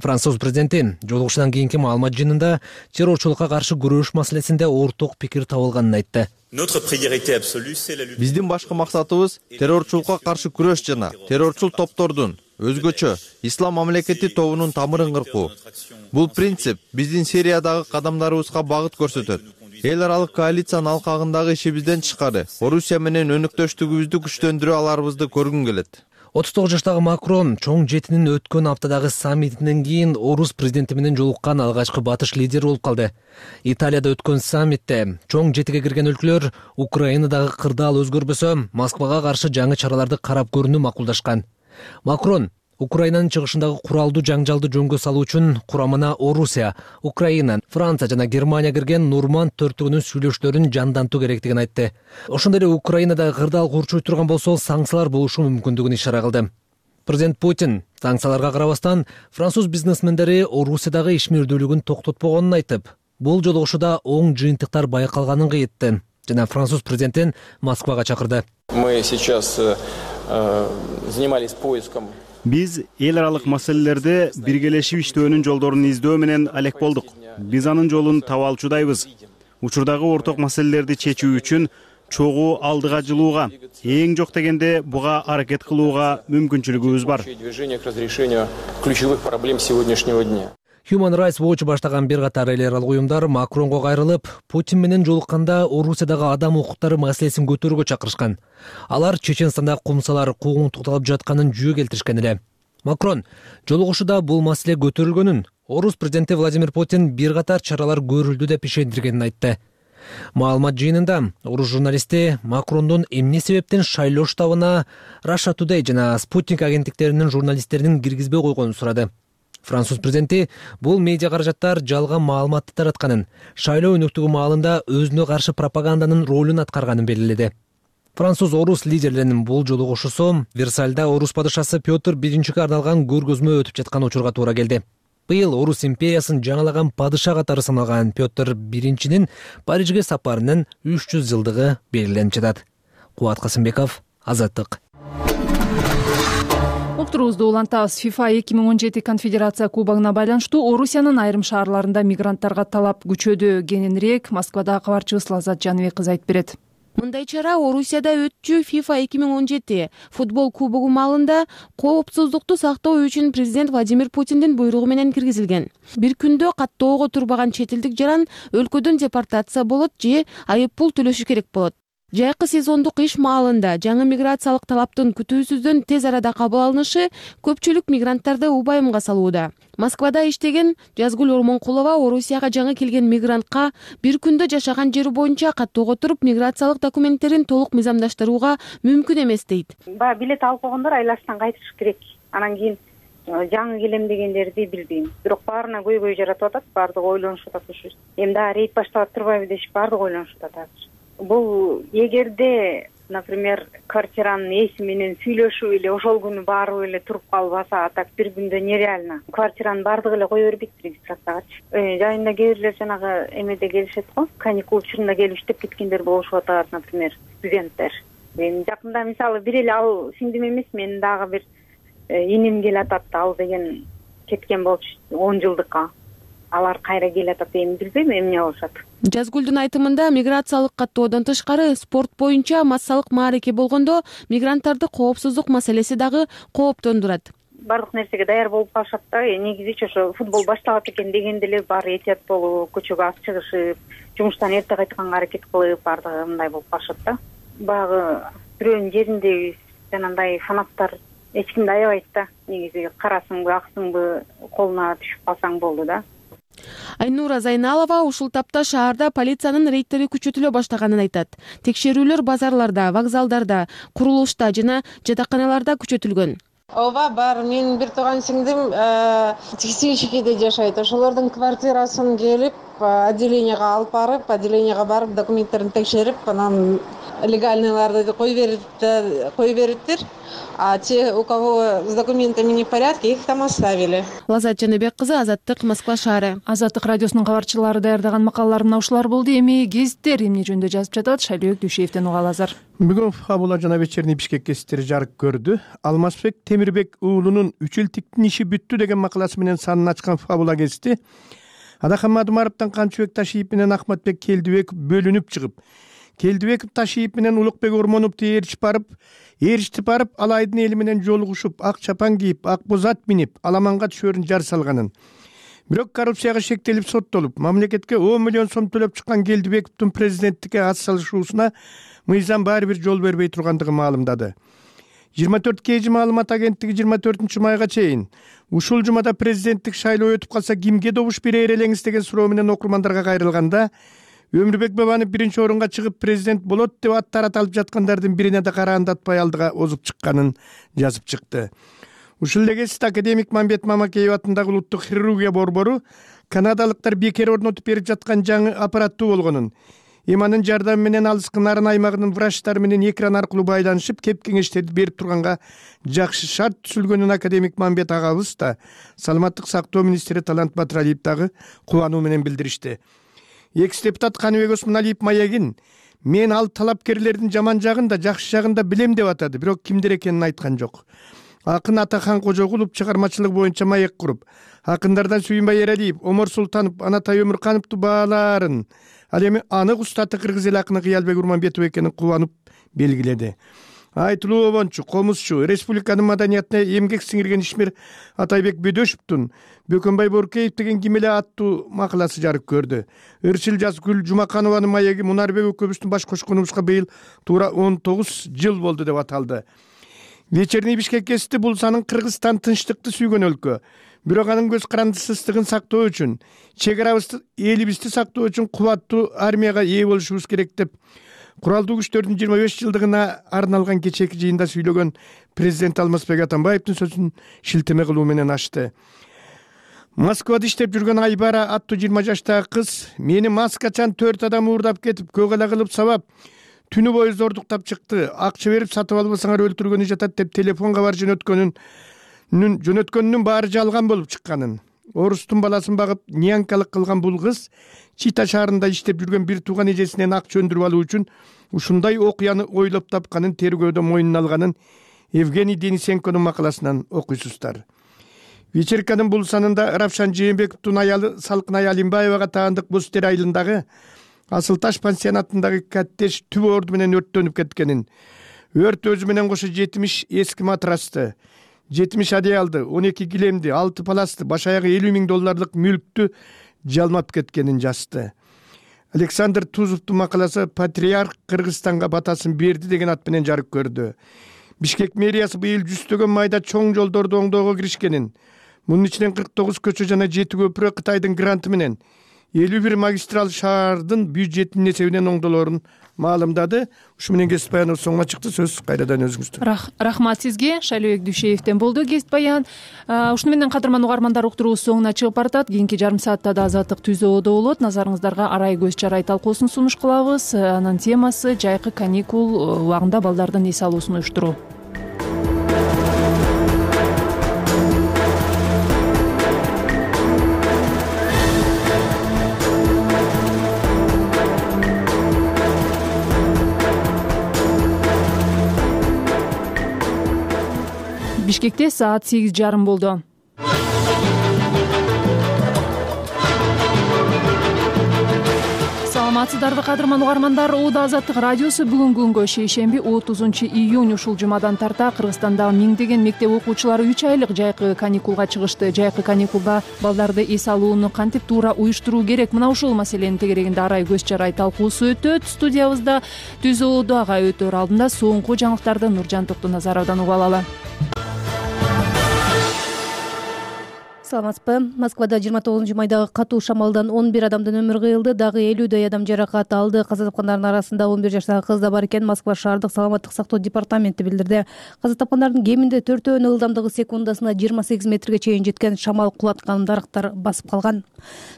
Француз президенти жолугушуудан кийинки маалымат жыйынында террорчулукка каршы күрөш маселесинде орток пикир табылганын айтты. Биздин башкы максатыбыз террорчулукка каршы күрөш жана террорчул топтордун, өзгөчө ислам мамлекети тобунун тамырын кыркуу. Бул принцип биздин Сириядагы кадамдарыбызга багыт көрсөтөт. Эл аралык коалициянын алкагындагы ишибизден тышкары Орусия менен өнөктөштүгүбүздү күчтөндүрө аларыбызды көргүм келет. 39 жаштагы Макрон чоң жетинин өткөн аптадагы саммитинен кийин орус президенти менен жолуккан алгачкы батыш лидери болуп калды. Италияда өткөн саммитте чоң жетиге кирген өлкөлөр Украинадагы кырдаал өзгөрбөсө Москвага каршы жаңы чараларды карап көрүүнү макулдашкан. Макрон Украинанын чыгышындагы куралдуу жаңжалды жөнгө салуу үчүн курамына Орусия, Украина, Франция жана Германия кирген Нурманд төртүгүнүн сүйлөшүүлөрүн жандантуу керектигин айтты. Ошондой эле Украинада кырдаал курчуй турган болсо санкциялар болушу мүмкүндүгүн ишара кылды. Президент Путин санкцияларга карабастан француз бизнесмендери Орусиядагы ишмердүүлүгүн токтотпогонун айтып, бул жолугушууда оң жыйынтыктар байкалганын кыйытты жана француз президентин Москвага чакырды. Мы сейчас занимались поиском. Биз эл аралык маселелерде биргелешип иштөөнүн жолдорун издөө менен алек болдук. Биз анын жолун таба алчудайбыз. Учурдагы орток маселелерди чечүү үчүн чогуу алдыга жылууга, эң жок дегенде буга аракет кылууга мүмкүнчүлүгүбүз бар. Движение к разрешению ключевых проблем сегодняшнего дня. Human Rights Watch баштаган бир катар эл аралык уюмдар Макронго кайрылып, Путин менен жолукканда Орусиядагы адам укуктары маселесин көтөрүүгө чакырышкан. Алар Чеченстанда кумсалар куугунтукталып жатканын жүйө келтиришкен эле. Макрон жолугушууда бул маселе көтөрүлгөнүн, орус президенти Владимир Путин бир катар чаралар көрүлдү деп ишендиргенин айтты. Маалымат жыйынында орус журналисти Макрондун эмне себептен шайлоо штабына Russia Today жана Спутник агенттиктеринин журналисттерин киргизбей койгонун сурады. Француз президенти бул медиа каражаттар жалган маалыматты таратканын, шайлоо өнүктүгү маалында өзүнө каршы пропаганданын ролун аткарганын белгиледи. Француз орус лидерлеринин бул жолугушуусу Версальда орус падышасы Петр I арналган көргөзмө өтүп жаткан учурга туура келди. Быйыл орус империясын жаңалаган падыша катары саналган Петр I Парижге сапарынын 300 жылдыгы белгиленип жатат. Кубат Касымбеков, Азаттык. Уктурубузду улантабыз. FIFA 2017 конфедерация кубогуна байланыштуу Орусиянын айрым шаарларында мигранттарга талап күчөдү. Кененирээк Москвадагы кабарчыбыз Лаззат Жаныбек кызы айтып берет. Мындай чара Орусияда өтчү FIFA 2017 футбол кубогу маалында коопсуздукту сактоо үчүн президент Владимир Путиндин буйругу менен киргизилген. Бир күндө каттоого турбаган чет элдик жаран өлкөдөн депортация болот же айып пул төлөшү керек болот. Жайкы сезондук иш маалында жаңы миграциялык талаптын күтүүсүздөн тез арада кабыл алынышы көпчүлүк мигранттарды убайымга салууда. Москвада иштеген Жазгүл Ормонкулова Орусияга жаңы келген мигрантка бир күндө жашаган жери боюнча каттоого туруп миграциялык документтерин толук мыйзамдаштырууга мүмкүн эмес дейт. Баягы билет алып койгондор айлаштан кайтыш керек. Анан кийин жаңы келем дегендерди билбейм. Бирок баарына көйгөй жаратып атат, баардыгы ойлонушуп атат ушу. Эми дагы рейд башталып турбайбы дешип баардыгы ойлонушуп атат. Бул эгерде, например, квартиранын ээси менен сүйлөшүп эле ошол күнү барып эле туруп калбаса, а так бир күндө нереально. Квартиранын баардыгы эле кое бербейт регистрациягачы. Жайында кээ бирлер жанагы эмеде келишет го, каникул учурунда келип иштеп кеткендер болушуп атат, например, студенттер. Эми жакында мисалы бир эле ал сиңдим эмес, менин дагы бир иним келатат, ал деген кеткен болчу 10 жылдыкка. Алар кайра келатат, эми билбейм эмне болушат. Жазгүлдүн айтымында миграциялык каттоодон тышкары спорт боюнча массалык маареке болгондо мигранттарды коопсуздук маселеси дагы кооптондурат. Бардык нерсеге даяр болуп калышат да. Негизичи ошо футбол башталат экен дегенде эле баары этият болуп, көчөгө аз чыгышып, жумуштан эрте кайтканга аракет кылып, бардыгы мындай болуп калышат да. Баягы бирөөнүн жеринде жанагындай фанаттар эч кимди аябайт да. Негизи карасыңбы, аксыңбы, колуна түшүп калсаң болду да. Айнура Зайналова ушул тапта шаарда полициянын рейдтери күчөтүлө баштаганын айтат. Текшерүүлөр базарларда, вокзалдарда, курулушта жана жатаканаларда күчөтүлгөн. Ооба, бар. Менин бир тууган сиңдим Текстильщикиде жашайт. Ошолордун квартирасын келип, отделенияга барып, документтерин текшерип, анан легальныйларды кое бериптир. А те, у кого с документами не в порядке, их там оставили. Лазат Жаныбек кызы, Азаттык, Москва шаары. Азаттык радиосунун кабарчылары даярдаган макалалар мына ушулар болду. Эми гезиттер эмне жөнүндө жазып жатат? Шайлообек Дүйшеевден угалы азыр. Бүгүн Фабула жана вечерний Бишкек гезиттери жарык көрдү. Алмазбек Темирбек уулунун Үчелтиктин иши бүттү деген макаласы менен санын ачкан Фабула гезити Адахан Мадумаровдон Камчыбек Ташиев менен Ахматбек Келдибеков бөлүнүп чыгып, Келдибеков Ташиев менен Улукбек Ормоновду ээрчитип барып, Алайдын эли менен жолугушуп, ак чапан кийип, ак боз ат минип, аламанга түшөрүн жар салганын. Бирок коррупцияга шектелип соттолуп, мамлекетке 10 миллион сом төлөп чыккан Келдибековдун президенттикке ат салышуусуна мыйзам баары бир жол бербей тургандыгын маалымдады. 24 KG маалымат агенттиги 24 майга чейин ушул жумада президенттик шайлоо өтүп калса кимге добуш берер элеңиз деген суроо менен окурмандарга кайрылганда, Өмүрбек Бабанов биринчи орунга чыгып президент болот деп ат таратылып жаткандардын бирине да караандатпай алдыга озуп чыкканын жазып чыкты. Ушул эле кезде академик Мамбет Мамакеев атындагы улуттук хирургия борбору канадалыктар бекер орнотуп берип жаткан жаңы аппараттуу болгонун, эманын жардамы менен алыскы нарын аймагынын врачтары менен экран аркылуу байланышып, кеп кеңештерди берип турганга жакшы шарт түзүлгөнүн академик Мамбет агабыз да, саламаттык сактоо министри Талант Батыралиев дагы кубануу менен билдиришти. Экс депутат Каныбек Осмоналиев маягин мен ал талапкерлердин жаман жагын да жакшы жагын да билем деп атады, бирок кимдер экенин айткан жок. Акын Атахан Кожогулов чыгармачылык боюнча маек куруп, акындардан Сүйүнбай Эралиев, Омор Султанов, Анатай Өмүркановду баалаарын, ал эми анык устаты кыргыз эл акыны Кыялбек Урманбетов экенин кубанып белгиледи. Айтылуу обончу, комузчу, республиканын маданиятына эмгек сиңирген ишмер Атайбек Бөдөшевдун Бөкөнбай Боркеев деген ким эле аттуу макаласы жарык көрдү. Ырчыл Жазгүл Жумаканованын маеги Мунарбек экөөбүздүн баш кошконубузга быйыл туура 19 жыл болду деп аталды. Вечерний Бишкек гезити бул санын Кыргызстан тынчтыкты сүйгөн өлкө. Бирок анын көз карандысыздыгын сактоо үчүн, чек арабызды, элибизди сактоо үчүн кубаттуу армияга ээ болушубуз керек деп Куралдуу күчтөрдүн 25 жылдыгына арналган кечээки жыйында сүйлөгөн президент Алмазбек Атамбаевдин сөзүн шилтеме кылуу менен ачты. Москвада иштеп жүргөн Айбара аттуу 20 жаштагы кыз мени маскачан 4 адам уурдап кетип, көгала кылып сабап, түнү бою зордуктап чыкты. Акча берип сатып албасаңар өлтүргөнү жатат деп телефон кабар жөнөткөнүнүн баары жалган болуп чыкканын. Орустун баласын багып нянкалык кылган бул кыз Чита шаарында иштеп жүргөн бир тууган эжесинен акча өндүрүп алуу үчүн ушундай окуяны ойлоп тапканын тергөөдө моюнуна алганын Евгений Денисенконун макаласынан окуйсуздар. Вечерканын бул санында Равшан Жээнбековдун аялы Салкын Аялимбаевага таандык Бостер айылындагы Асыл таш пансионатындагы коттедж түбү орду менен өрттөнүп кеткенин, өрт өзү менен кошо 70 эски матрасты, 70 одеялды, 12 килемди, 6 паласты, баш аягы $50,000 мүлктү жалмап кеткенин жазды. Александр Тузовдун макаласы «Патриарх Кыргызстанга батасын берди» деген ат менен жарык көрдү. Бишкек мэриясы быйыл 100 майда чоң жолдорду оңдоого киришкенин, мунун ичинен 49 көчө жана 7 көпүрө Кытайдын гранты менен 51 магистрал шаардын бюджетинин эсебинен оңдолоорун маалымдады. Ушу менен кесип баяныбыз соңуна чыкты. Сөз кайрадан өзүңүздө. Рахмат сизге. Шайлообек Дүйшеевден болду кесип баян. Ушуну менен кадырман угармандар, уктуруубуз соңуна чыгып баратат. Кийинки жарым саатта да Азаттык ТүЗОодо болот. Назарыңыздарга арай көз чарай талкуусун сунуш кылабыз. Анын темасы жайкы каникул убагында балдардын эс алуусун уюштуруу. Бишкекте саат 8:30 болду. Саламатсыздарбы кадырман угармандар. Оода Азаттык радиосу бүгүнкү күнгө шейшемби 30 июнь ушул жумадан тарта Кыргызстандагы миңдеген мектеп окуучулары 3 айлык жайкы каникулга чыгышты. Жайкы каникулда балдарды эс алууну кантип туура уюштуруу керек? Мына ушул маселенин тегерегинде арай көз чарай талкуусу өтөт. Студиябызда ТүЗОодо ага өтөр алдында соңку жаңылыктарды Нуржан Токтоназаровдон угуп алалы. Саламатсызбы. Москвада 29 майдагы катуу шамалдан 11 адамдын өмүрү кыйылды, дагы 50дөй адам жаракат алды. Каза тапкандардын арасында 11 жаштагы кыз да бар экен. Москва шаардык саламаттык сактоо департаменти билдирди. Каза тапкандардын кеминде 4-өөнүн ылдамдыгы секундасына 28 метрге чейин жеткен, шамал кулаткан дарыктар басып калган.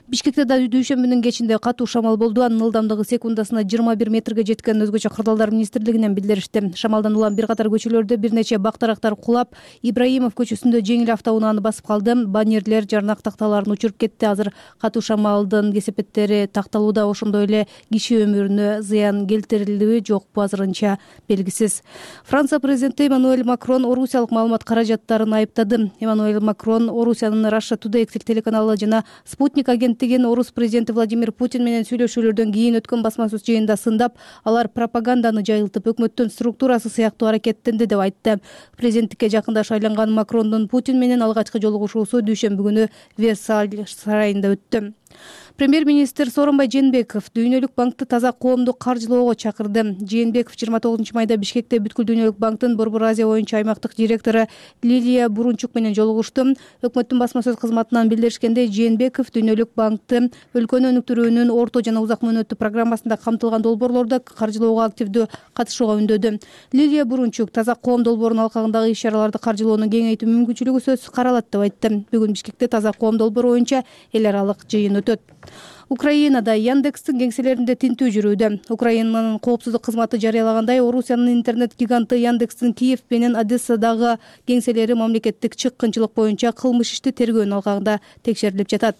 Бишкекте да дүйшөмбүнүн кечинде катуу шамал болду. Анын ылдамдыгы секундасына 21 метрге жеткен. Өзгөчө кырдаалдар министрлигинен билдиришти. Шамалдан улам бир катар көчөлөрдө бир нече бак-дарактар кулап, Ибраимов көчөсүндө жеңил автоунааны басып калды. Баннерлер, жарнак такталарын учуруп кетти. Азыр катуу шамалдын кесепеттери такталууда. Ошондой эле киши өмүрүнө зыян келтирилдиби жокпу азырынча белгисиз. Франция президенти Эммануэль Макрон орусиялык маалымат каражаттарын айыптады. Эммануэль Макрон Орусиянын Russia Today телеканалы жана Спутник агенттигин орус президенти Владимир Путин менен сүйлөшүүлөрдөн кийин өткөн басма сөз жыйынында сындап, алар пропаганданы жайылтып, өкмөттүн структурасы сыяктуу аракеттенди деп айтты. Президенттикке жакында шайланган Макрондун Путин менен алгачкы жолугушуусу дүйшөмбү күнү Версаль сарайында өттү. Премьер-министр Сооронбай Жээнбеков Дүйнөлүк банкты таза коомду каржылоого чакырды. Жээнбеков 29 майда Бишкекте Бүткүл Дүйнөлүк банктын Борбор Азия боюнча аймактык директору Лилия Бурунчук менен жолугушту. Өкмөттүн басма сөз кызматынан билдиришкендей, Жээнбеков Дүйнөлүк банкты өлкөнү өнүктүрүүнүн орто жана узак мөөнөттүү программасында камтылган долбоорлорду каржылоого активдүү катышууга үндөдү. Лилия Бурунчук таза коом долбоорунун алкагындагы иш-чараларды каржылоону кеңейтүү мүмкүнчүлүгү сөзсүз каралат деп айтты. Бүгүн Бишкекте таза коом долбоору боюнча эл аралык жыйын өтөт. Украинада Яндекстин кеңселеринде тинтүү жүрүүдө. Украинанын коопсуздук кызматы жарыялагандай, Орусиянын интернет гиганты Яндекстин Киев менен Одессадагы кеңселери мамлекеттик чыккынчылык боюнча кылмыш ишти тергөөнүн алкагында текшерилип жатат.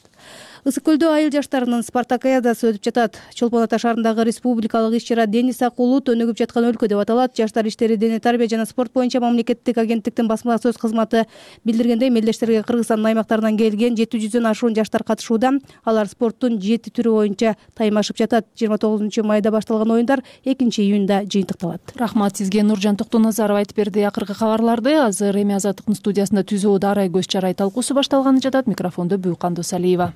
Ысык көлдө айыл жаштарынын спартакиадасы өтүп жатат. Чолпон Ата шаарындагы республикалык иш-чара Денис Акулут өнүгүп жаткан өлкө деп аталат. Жаштар иштери, дене тарбия жана спорт боюнча мамлекеттик агенттиктин басма сөз кызматы билдиргендей, мелдештерге Кыргызстандын аймактарынан келген 700дөн ашуун жаштар катышууда. Алар спорттун 7 түрү боюнча таймашып жатат. 29 майда башталган оюндар 2 июнда жыйынтыкталат. Рахмат сизге, Нуржан Токтоназаров айтып берди акыркы кабарларды. Азыр эми Азаттыктын студиясында ТүЗОодо арай көз чарай талкуусу башталганы жатат. Микрофондо Бүйкан Досалиева.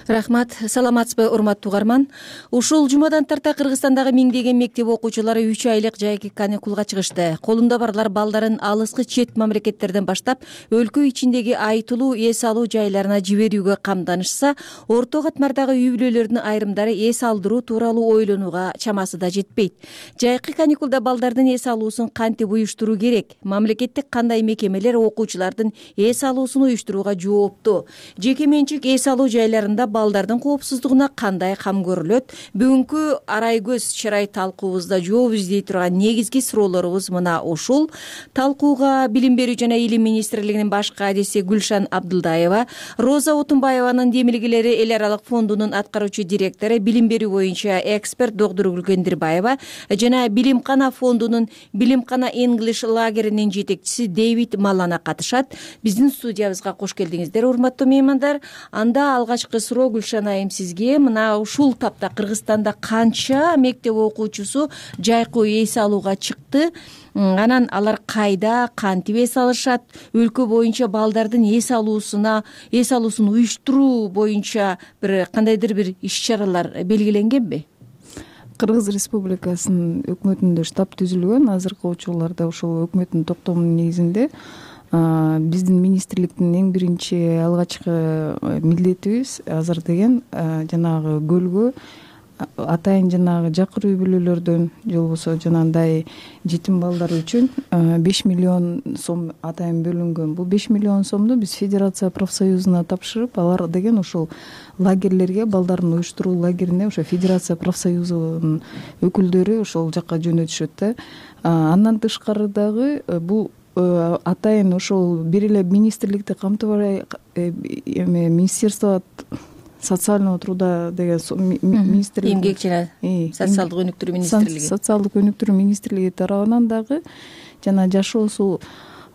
Рахмат. Саламатсызбы, урматтуу угарман. Ушул жумадан тарта Кыргызстандагы миңдеген мектеп окуучулары 3 айлык жайкы каникулга чыгышты. Колунда барлар балдарын алыскы чет мамлекеттерден баштап өлкө ичиндеги айтылуу эс алуу жайларына жиберүүгө камданышса, орто катмардагы үй бүлөлөрдүн айрымдары эс алдыруу тууралуу ойлонууга чамасы да жетпейт. Жайкы каникулда балдардын эс алуусун кантип уюштуруу керек? Мамлекеттик кандай мекемелер окуучулардын эс алуусун уюштурууга жоопту? Жеке менчик эс алуу жайларында балдардын коопсуздугуна кандай кам көрүлөт? Бүгүнкү арай көз чарай талкуубузда жооп издей турган негизги суроолорубуз мына ушул. Талкууга Билим берүү жана Илим министрлигинин баш кадиси Гүлшан Абдылдаева, Роза Отунбаеванын демилгелери эл аралык фондунун аткаруучу директору, билим берүү боюнча эксперт доктор Гүлгендирбаева жана Билимкана фондунун Билимкана English лагеринин жетекчиси Дэвид Малана катышат. Биздин студиябызга кош келдиңиздер, урматтуу меймандар. Анда алгачкы суроо Гүлшан айым сизге. Мына ушул тапта Кыргызстанда канча мектеп окуучусу жайкы эс алууга чыкты? Анан алар кайда, кантип эс алышат? Өлкө боюнча балдардын эс алуусун уюштуруу боюнча бир кандайдыр бир иш-чаралар белгиленгенби? Кыргыз Республикасынын өкмөтүндө штаб түзүлгөн. Азыркы учурларда ошол өкмөттүн токтомунун негизинде биздин министрликтин эң биринчи алгачкы милдетибиз азыр деген жанагы көлгө атайын жанагы жакыр үй бүлөлөрдөн же болбосо жанагындай жетим балдар үчүн 5 миллион сом атайын бөлүнгөн. Бул 5 миллион сомду биз Федерация профсоюзуна тапшырып, алар деген ошол лагерлерге, балдарын уюштуруу лагерине ошо Федерация профсоюзунун өкүлдөрү ошол жака жөнөтүшөт да. Андан тышкары дагы бул атайын ошол бир эле министрликти камтыбай Министерство социального труда деген министрлик, эмгек жана социалдык өнүктүрүү министрлиги, социалдык өнүктүрүү министрлиги тарабынан дагы жана жашоосу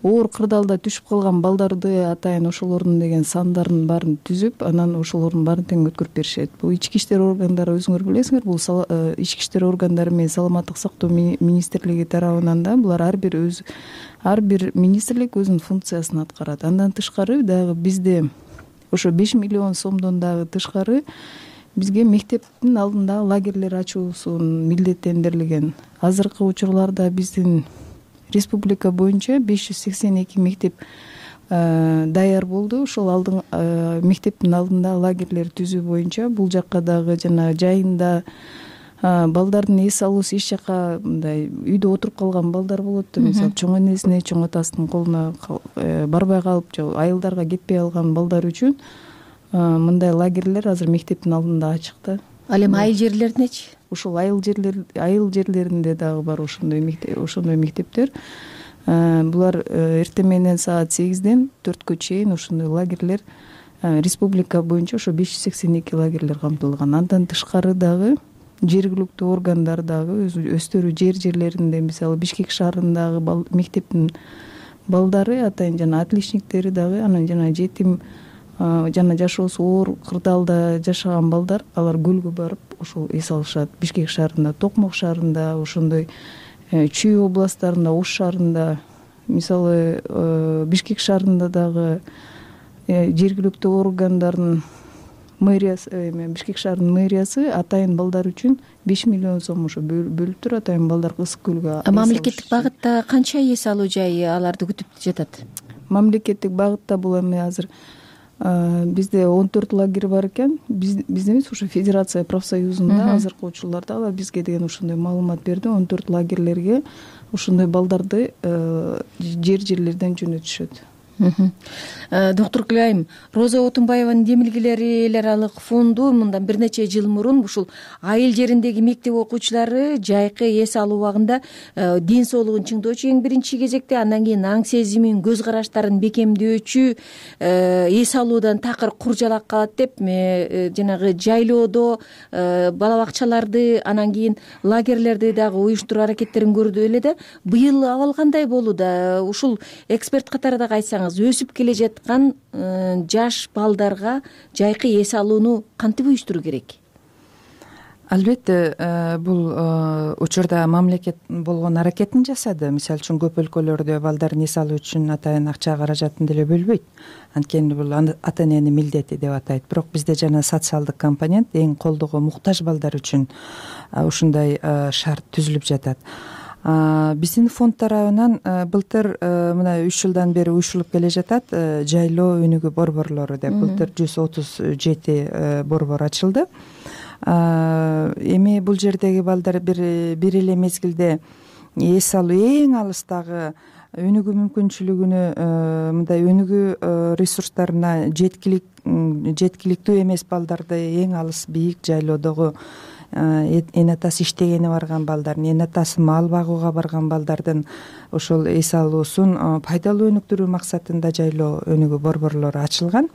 оор кырдаалда түшүп калган балдарды атайын ошолордун деген сандарын баарын түзүп, анан ошолордун баарын тең өткөрүп беришет. Бул ички иштер органдары, өзүңөр билесиңер, бул ички иштер органдары менен саламаттык сактоо министрлиги тарабынан да булар ар бир министрлик өзүнүн функциясын аткарат. Андан тышкары дагы бизде ошо 5 миллион сомдон дагы тышкары бизге мектептин алдында лагерлер ачуусун милдеттендирилген. Азыркы учурларда биздин республика боюнча 582 мектеп даяр болду. Ошол мектептин алдында лагерлер түзүү боюнча бул жакка дагы жана жайында балдардын эс алуусу эч жака мындай үйдө отуруп калган балдар болот да, мисалы чоң энесине, чоң атасынын колуна барбай калып же айылдарга кетпей калган балдар үчүн мындай лагерлер азыр мектептин алдында ачык да. Ал эми айыл жерлеринечи? Ушул айыл жерлеринде дагы бар ошондой мектептер. Булар эртең менен саат 8ден 4кө чейин ошондой лагерлер республика боюнча ошо 582 лагерлер камтылган. Андан тышкары дагы жергиликтүү органдар дагы өздөрү жерлеринде, мисалы Бишкек шаарындагы мектептин балдары атайын жана отличниктери дагы, анан жана жетим жана жашоосу оор кырдаалда жашаган балдар, алар көлгө барып ошол эс алышат. Бишкек шаарында, Токмок шаарында, ошондой Чүй областарында, Ош шаарында, мисалы Бишкек шаарында дагы жергиликтүү органдардын Бишкек шаарынын мэриясы атайын балдар үчүн 5 миллион сом ошо бөлүптүр. Атайын балдар ысык көлгө. Мамлекеттик багытта канча эс алуу жайы аларды күтүп жатат? Мамлекеттик багытта бул эми азыр бизде 14 лагерь бар экен. Бизде эмес, ошо Федерация профсоюзунда азыркы учурларда алар бизге деген ошондой маалымат берди. 14 лагерлерге ошондой балдарды жерлерден жөнөтүшөт. Доктор Гүлайым, Роза Отунбаеванын демилгелери эл аралык фонду мындан бир нече жыл мурун ушул айыл жериндеги мектеп окуучулары жайкы эс алуу убагында ден соолугун чыңдоочу эң биринчи кезекте, андан кийин аң сезимин, көз караштарын бекемдөөчү, эс алуудан такыр куржалак калат деп жанагы жайлоодо бала бакчаларды, анан кийин лагерлерди дагы уюштуруу аракеттерин көрдү эле да. Быйыл абал кандай болууда? Ушул эксперт катары дагы айтсаңыз, өсүп келе жаткан жаш балдарга жайкы эс алууну кантип уюштуруу керек? Албетте, бул учурда мамлекет болгон аракетин жасады. Мисалы үчүн көп өлкөлөрдө балдардын эс алуу үчүн атайын акча каражатын деле бөлбөйт. Анткени бул ата эненин милдети деп атайт. Бирок бизде жана социалдык компонент, эң колдоого муктаж балдар үчүн ушундай шарт түзүлүп жатат. Биздин фонд тарабынан былтыр мына 3 жылдан бери уюшулуп келе жатат жайлоо өнүгүү борборлору деп. Былтыр 137 борбор ачылды. Эми бул жердеги балдар бир эле мезгилде эс алуу эң алыстагы өнүгүү мүмкүнчүлүгүнө, мындай өнүгүү ресурстарына жеткиликтүү эмес балдарды эң алыс бийик жайлоодогу эне атасы иштегени барган балдардын, эне атасы мал багууга барган балдардын ошол эс алуусун пайдалуу өнүктүрүү максатында жайлоо өнүгүү борборлору ачылган.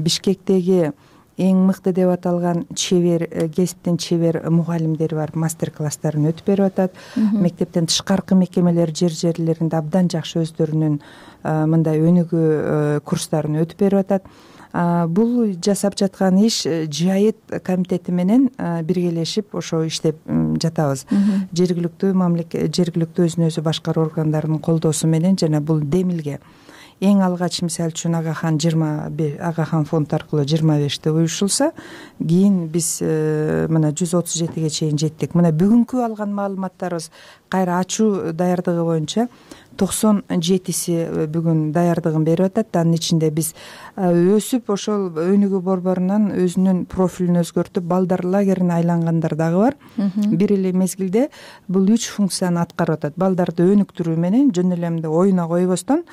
Бишкектеги эң мыкты деп аталган кесиптин чебер мугалимдери барып мастер класстарын өтүп берип атат. Мектептен тышкаркы мекемелер жерлеринде абдан жакшы өздөрүнүн мындай өнүгүү курстарын өтүп берип атат. бул жасап жаткан иш жайыт комитети менен биргелешип ошо иштеп жатабыз. Жергиликтүү өзүн өзү башкаруу органдарынын колдоосу менен жана бул демилге эң алгач мисалы үчүн Агахан фонд аркылуу 25 уюшулса, кийин биз мына 137ге чейин жеттик. Мына бүгүнкү алган маалыматтарыбыз кайра ачуу даярдыгы боюнча 97си бүгүн даярдыгын берип атат. Анын ичинде биз өсүп ошол өнүгүү борборунан өзүнүн профилин өзгөртүп балдар лагерине айлангандар дагы бар. Бир эле мезгилде бул 3 функцияны аткарып атат. Балдарды өнүктүрүү менен жөн эле мындай оюна койбостон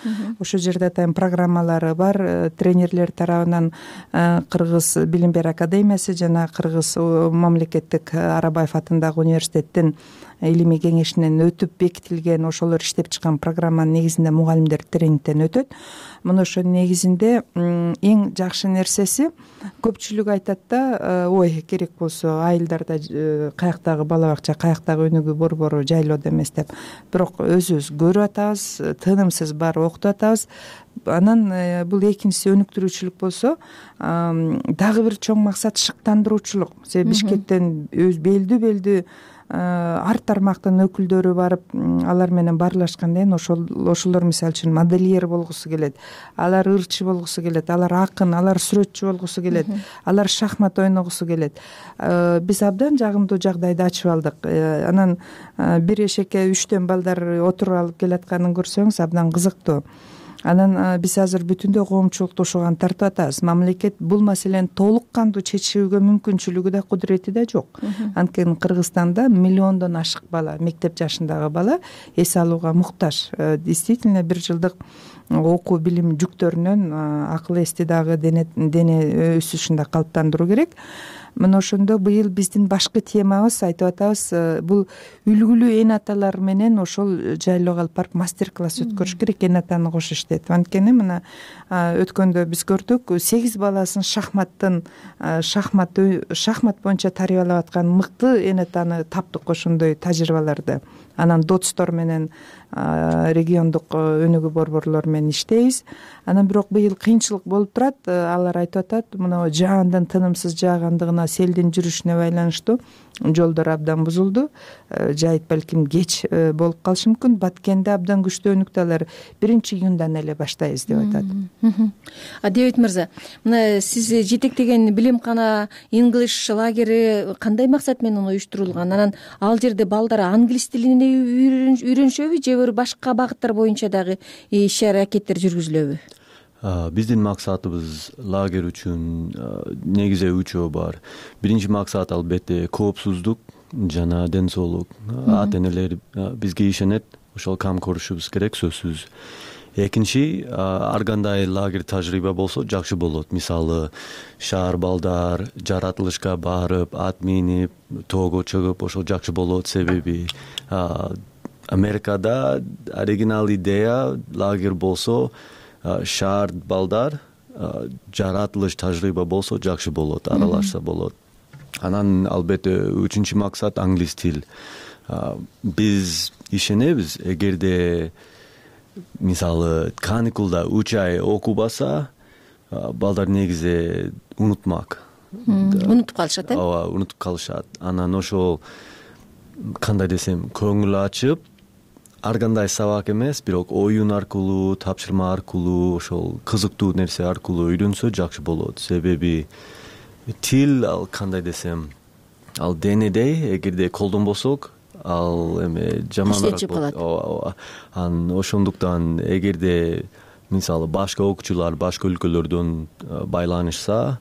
ошол жерде атайын программалары бар. Тренерлер тарабынан Кыргыз билим берүү академиясы жана Кыргыз мамлекеттик Арабаев атындагы университеттин илимий кеңешинен өтүп бекитилген ошолор иштеп чыккан программанын негизинде мугалимдер тренингден өтөт. Мына ошонун негизинде эң жакшы нерсеси көпчүлүк айтат да, ой керек болсо айылдарда каяктагы бала бакча, каяктагы өнүгүү борбору жайлоодо эмес деп. Бирок өзүбүз көрүп атабыз, тынымсыз барып окутуп атабыз. Анан бул экинчиси өнүктүрүүчүлүк болсо, дагы бир чоң максат шыктандыруучулук. Себеби Бишкектен белдүү ар тармактын өкүлдөрү барып алар менен баарлашкандан кийин ошолор мисалы үчүн модельер болгусу келет, алар ырчы болгусу келет, алар акын, алар сүрөтчү болгусу келет, алар шахмат ойногусу келет. Биз абдан жагымдуу жагдайды ачып алдык. Анан бир эшекке 3төн балдар отуруп алып келатканын көрсөңүз абдан кызыктуу. Анан биз азыр бүтүндөй коомчулукту ушуга тартып атабыз. Мамлекет бул маселени толук кандуу чечүүгө мүмкүнчүлүгү да кудурети да жок. Анткени Кыргызстанда миллиондон ашык бала, мектеп жашындагы бала эс алууга муктаж. Действительно бир жылдык окуу билим жүктөрүнөн акыл эсти дагы дене өсүшүндө калыптандыруу керек. Мына ошондо быйыл биздин башкы темабыз айтып атабыз, бул үлгүлүү эн аталар менен ошол жайлоого алып барып мастер-класс өткөрүш керек, эн атаны кош иштетип. Анткени мына өткөндө биз көрдүк, 8 баласын шахмат боюнча тарбиялап аткан мыкты эн атаны таптык ошондой тажрыйбаларды. Анан дотстор менен региондук өнүгүү борборлору менен иштейбиз. Анан бирок быйыл кыйынчылык болуп турат. Алар айтып атат, мына жаандын тынымсыз жаагандыгына, селдин жүрүшүнө байланыштуу жолдор абдан бузулду. Жайыт балким кеч болуп калышы мүмкүн. Баткенде абдан күчтүү өнүктү, алар 1-июндан эле баштайбыз деп атат. Дебит мырза, мына сиз жетектеген билимкана English лагери кандай максат менен уюштурулган? Анан ал жерде балдар англис тилин үйрөнүшөбү же башка багыттар боюнча дагы иш-аракеттер жүргүзүлөбү? Биздин максатыбыз лагерь үчүн негизи 3 бар. Биринчи максат албетте коопсуздук жана ден соолук. Ата-энелер бизге ишенет, ошол кам көрүшүбүз керек, сөзсүз. Экинчи, ар кандай лагерь тажрыйба болсо жакшы болот. Мисалы, шаар балдар жаратылышка барып, ат минип, тоого чыгып, ошол жакшы болот. Себеби Америкада оригинал идея лагерь болсо, шаар балдар жаратылыш тажрыйба болсо жакшы болот, аралашса болот. Анан албетте 3-чү максат англис тил. Биз ишенебиз, эгерде мисалы каникулда 3 ай окубаса, балдар негизи унутмак. Унутуп калышат, э? Ооба, унутуп калышат. Анан ошол кандай десем, көңүл ачып, ар кандай сабак эмес, бирок оюн аркылуу, тапшырма аркылуу, ошол кызыктуу нерсе аркылуу үйрөнсө жакшы болот. Себеби тил, ал кандай десем, ал денедей, эгерде колдонбосок, ал эме жаманыраак болот. Ооба. Ошондуктан эгерде мисалы башка окуучулар башка өлкөлөрдөн байланышса,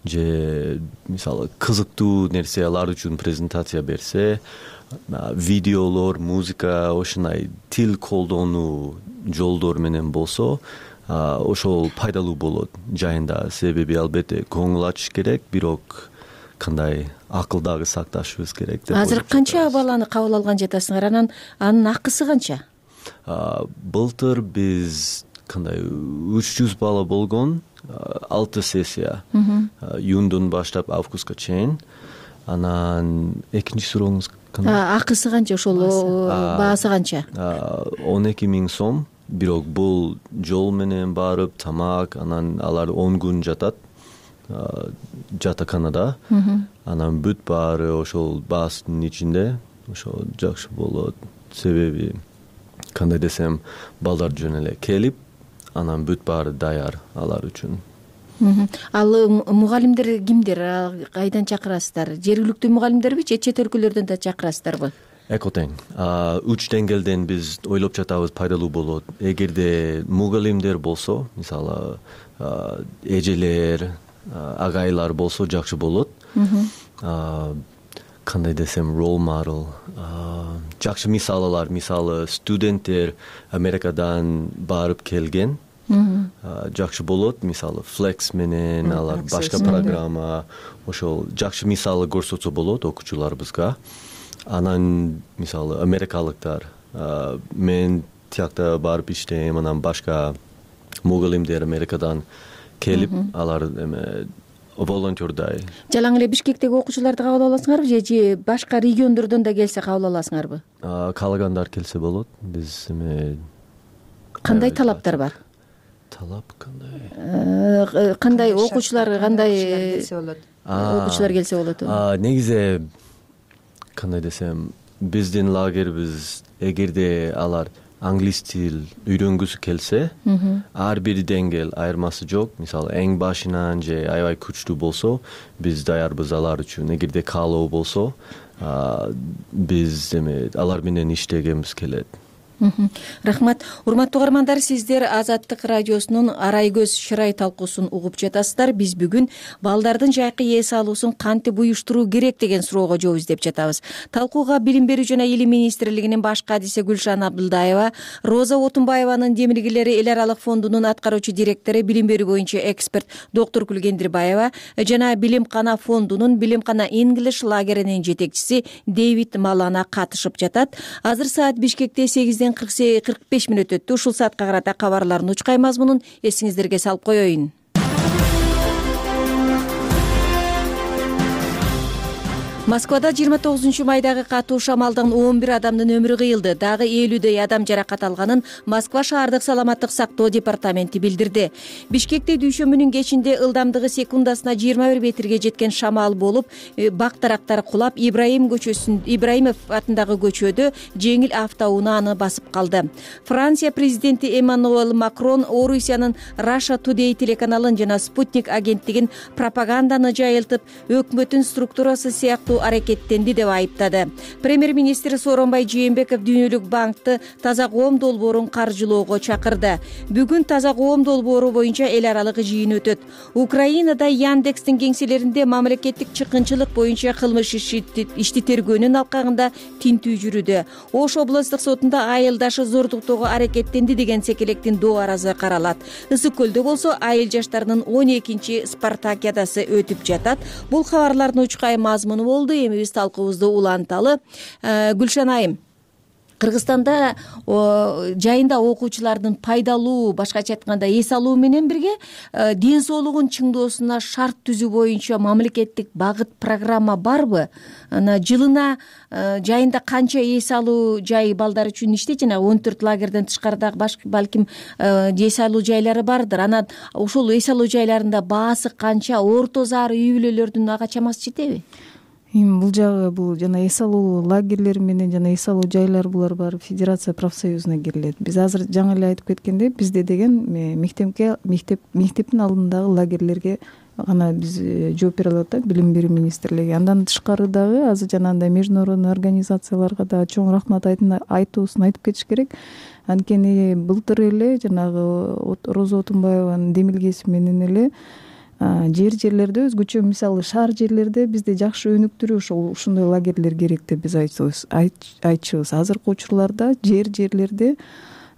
же мисалы кызыктуу нерсе алар үчүн презентация берсе, видеолор, музыка, ошондой тил колдонуу жолдор менен болсо, ошол пайдалуу болот жайында. Себеби албетте көңүл ачыш керек, бирок кандай акыл дагы сакташыбыз керек деп. Азыр канча баланы кабыл алган жатасыңар? Анын акысы канча? Былтыр биз кандай 300 бала болгон, 6 сессия. Июндон баштап августка чейин. Анан экинчи сурооңуз кандай? Акысы канча, ошол баасы канча? 12 000 сом бирок бул жол менен барып тамак, анан алар 10 күн жатат жатаканада. Анан бүт баары ошол баастын ичинде. Ошол жакшы болот. Себеби кандай десем, балдар жөн эле келип, анан бүт баары даяр алар үчүн. Ал мугалимдер кимдер? Кайдан чакырасыздар? Жергиликтүү мугалимдерби же чет өлкөлөрдөн да чакырасыздарбы? Эко тең. 3 деңгээлден биз ойлоп жатабыз, пайдалуу болот. Эгерде мугалимдер болсо, мисалы, эжелер, агайлар болсо жакшы болот. Кандай десем, role model, жакшы мисалалар, мисалы студенттер Америкадан барып келген, жакшы болот. Мисалы Flex менен алар башка программа, ошол жакшы мисалы көрсөтсө болот окуучуларыбызга. Анан мисалы америкалыктар, мен тиякта барып иштейм, анан башка мугалимдер Америкадан келип, алар волонтердай. Жалаң эле Бишкектеги окуучуларды кабыл аласыңарбы же башка региондордон да келсе кабыл аласыңарбы? Каалагандар келсе болот. Биз кандай талаптар бар? Талап кандай? Кандай окуучулар, кандай окуучулар келсе болот? Негизи кандай десем, биздин лагерибиз эгерде алар англис тил үйрөнгүсү келсе, ар бир деңгээл айырмасы жок. Мисалы эң башынан же аябай күчтүү болсо, биз даярбыз алар үчүн. Эгерде каалоо болсо, биз алар менен иштегенбиз келет. Рахмат. Урматтуу угармандар, сиздер Азаттык радиосунун Арай көз шырай талкуусун угуп жатасыздар. Биз бүгүн балдардын жайкы эс алуусун кантип уюштуруу керек деген суроого жооп издеп жатабыз. Талкууга Билим берүү жана Илим министрлигинин баш кадиси Гүлшан Абдылдаева, Роза Отунбаеванын Демилгелери эл аралык фондунун аткаруучу директору, билим берүү боюнча эксперт доктор Гүлгендирбаева жана Билимкана фондунун Билимкана English лагеринин жетекчиси Дэвид Малана катышып жатат. Азыр саат Бишкекте 8:45 өттү. Ушул саатка карата кабарлардын учкай мазмунун эсиңиздерге салып коеюн. Москвада 29 майдагы катуу шамалдан 11 адамдын өмүрү кыйылды. Дагы 50дөй адам жаракат алганын Москва шаардык саламаттык сактоо департаменти билдирди. Бишкекте дүйшөмбүнүн кечинде ылдамдыгы секундасына 21 метрге жеткен шамал болуп, бак дарактар кулап, Ибраимов атындагы көчөдө жеңил автоунааны басып калды. Франция президенти Эммануэль Макрон Орусиянын Russia Today телеканалын жана Спутник агенттигин пропаганданы жайылтып, өкмөттүн структурасы сыяктуу аракеттенди деп айыптады. Премьер-министр Сооронбай Жээнбеков Дүйнөлүк банкты таза коом долбоорун каржылоого чакырды. Бүгүн таза коом долбоору боюнча эл аралык жыйын өтөт. Украинада Яндекстин кеңселеринде мамлекеттик чыккынчылык боюнча кылмыш ишти тергөөнүн алкагында тинтүү жүрүүдө. Ош облустук сотунда айылдашы зордуктоого аракеттенди деген секелектин доо аразы каралат. Ысык көлдө болсо айыл жаштарынын 12-чи спартакиадасы өтүп жатат. Бул кабарлардын учкай мазмуну болду. Эми биз талкуубузду уланталы. Гүлшан айым, Кыргызстанда жайында окуучулардын пайдалуу, башкача айтканда эс алуу менен бирге ден соолугун чыңдоосуна шарт түзүү боюнча мамлекеттик багыт программа барбы? Жылына жайында канча эс алуу жай балдар үчүн иштейт? Жана 14 лагерден тышкарыдагы балким эс алуу жайлары бардыр. Анан ошол эс алуу жайларында баасы канча? Орто заар үй бүлөлөрдүн ага чамасы жетеби? Бул жагы бул жана эс алуу лагерлери менен жана эс алуу жайлар булар баары Федерация профсоюзуна кирилет. Биз азыр жаңы эле айтып кеткендей, бизде деген мектептин алдындагы лагерлерге гана биз жооп бере алат да, Билим берүү министрлиги. Андан тышкары дагы азыр жанагындай международный организацияларга да чоң рахмат айтуусун айтып кетиш керек. Анткени былтыр эле жанагы Роза Отунбаеванын демилгеси менен эле жерлерде өзгөчө, мисалы шаар жерлерде бизде жакшы өнүктүрүү ушундай лагерлер керек деп биз айтчубуз. Азыркы учурларда жерлерде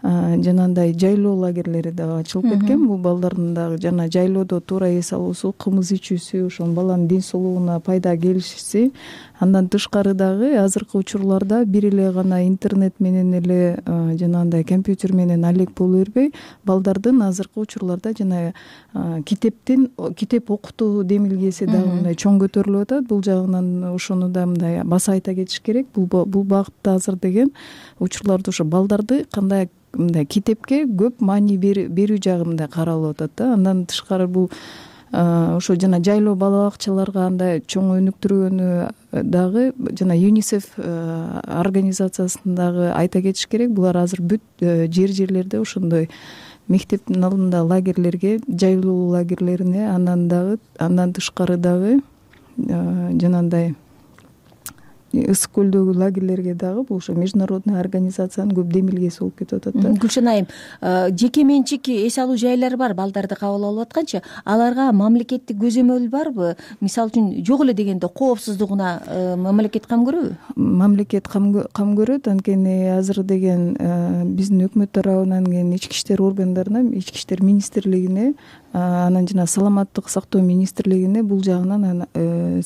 жанагындай жайлоо лагерлери дагы ачылып кеткен. Бул балдардын дагы жана жайлоодо туура эс алуусу, кымыз ичүүсү, ошол баланын ден соолугуна пайда келишиси Андан тышкары дагы азыркы учурларда бир эле гана интернет менен эле жанагындай компьютер менен алек боло бербей, балдардын азыркы учурларда жана китеп окутуу демилгеси дагы мындай чоң көтөрүлүп атат. Бул жагынан ошону да мындай баса айта кетиш керек. Бул багытта азыр деген учурларда ошо балдарды кандай мындай китепке көп маани берүү жагы мындай каралып атат да. Андан тышкары бул ошо жана жайлоо бала бакчаларга андай чоң өнүктүргөнү дагы жана ЮНИСЕФ организациясын дагы айта кетиш керек. Булар азыр бүт жерлерде ошондой мектептин алдында лагерлерге, жайлоо лагерлерине, андан тышкары дагы жанагындай ысык көлдөгү лагерлерге дагы бул ошо международный организациянын көп демилгеси болуп кетип атат да. Гүлшан айым, жеке менчик эс алуу жайлары бар балдарды кабыл алып атканчы, аларга мамлекеттик көзөмөл барбы? Мисалы үчүн жок эле дегенде коопсуздугуна мамлекет кам көрөбү? Мамлекет кам көрөт. Анткени азыр деген биздин өкмөт тарабынан келген ички иштер органдарына, ички иштер министрлигине, анан жана саламаттык сактоо министрлигине бул жагынан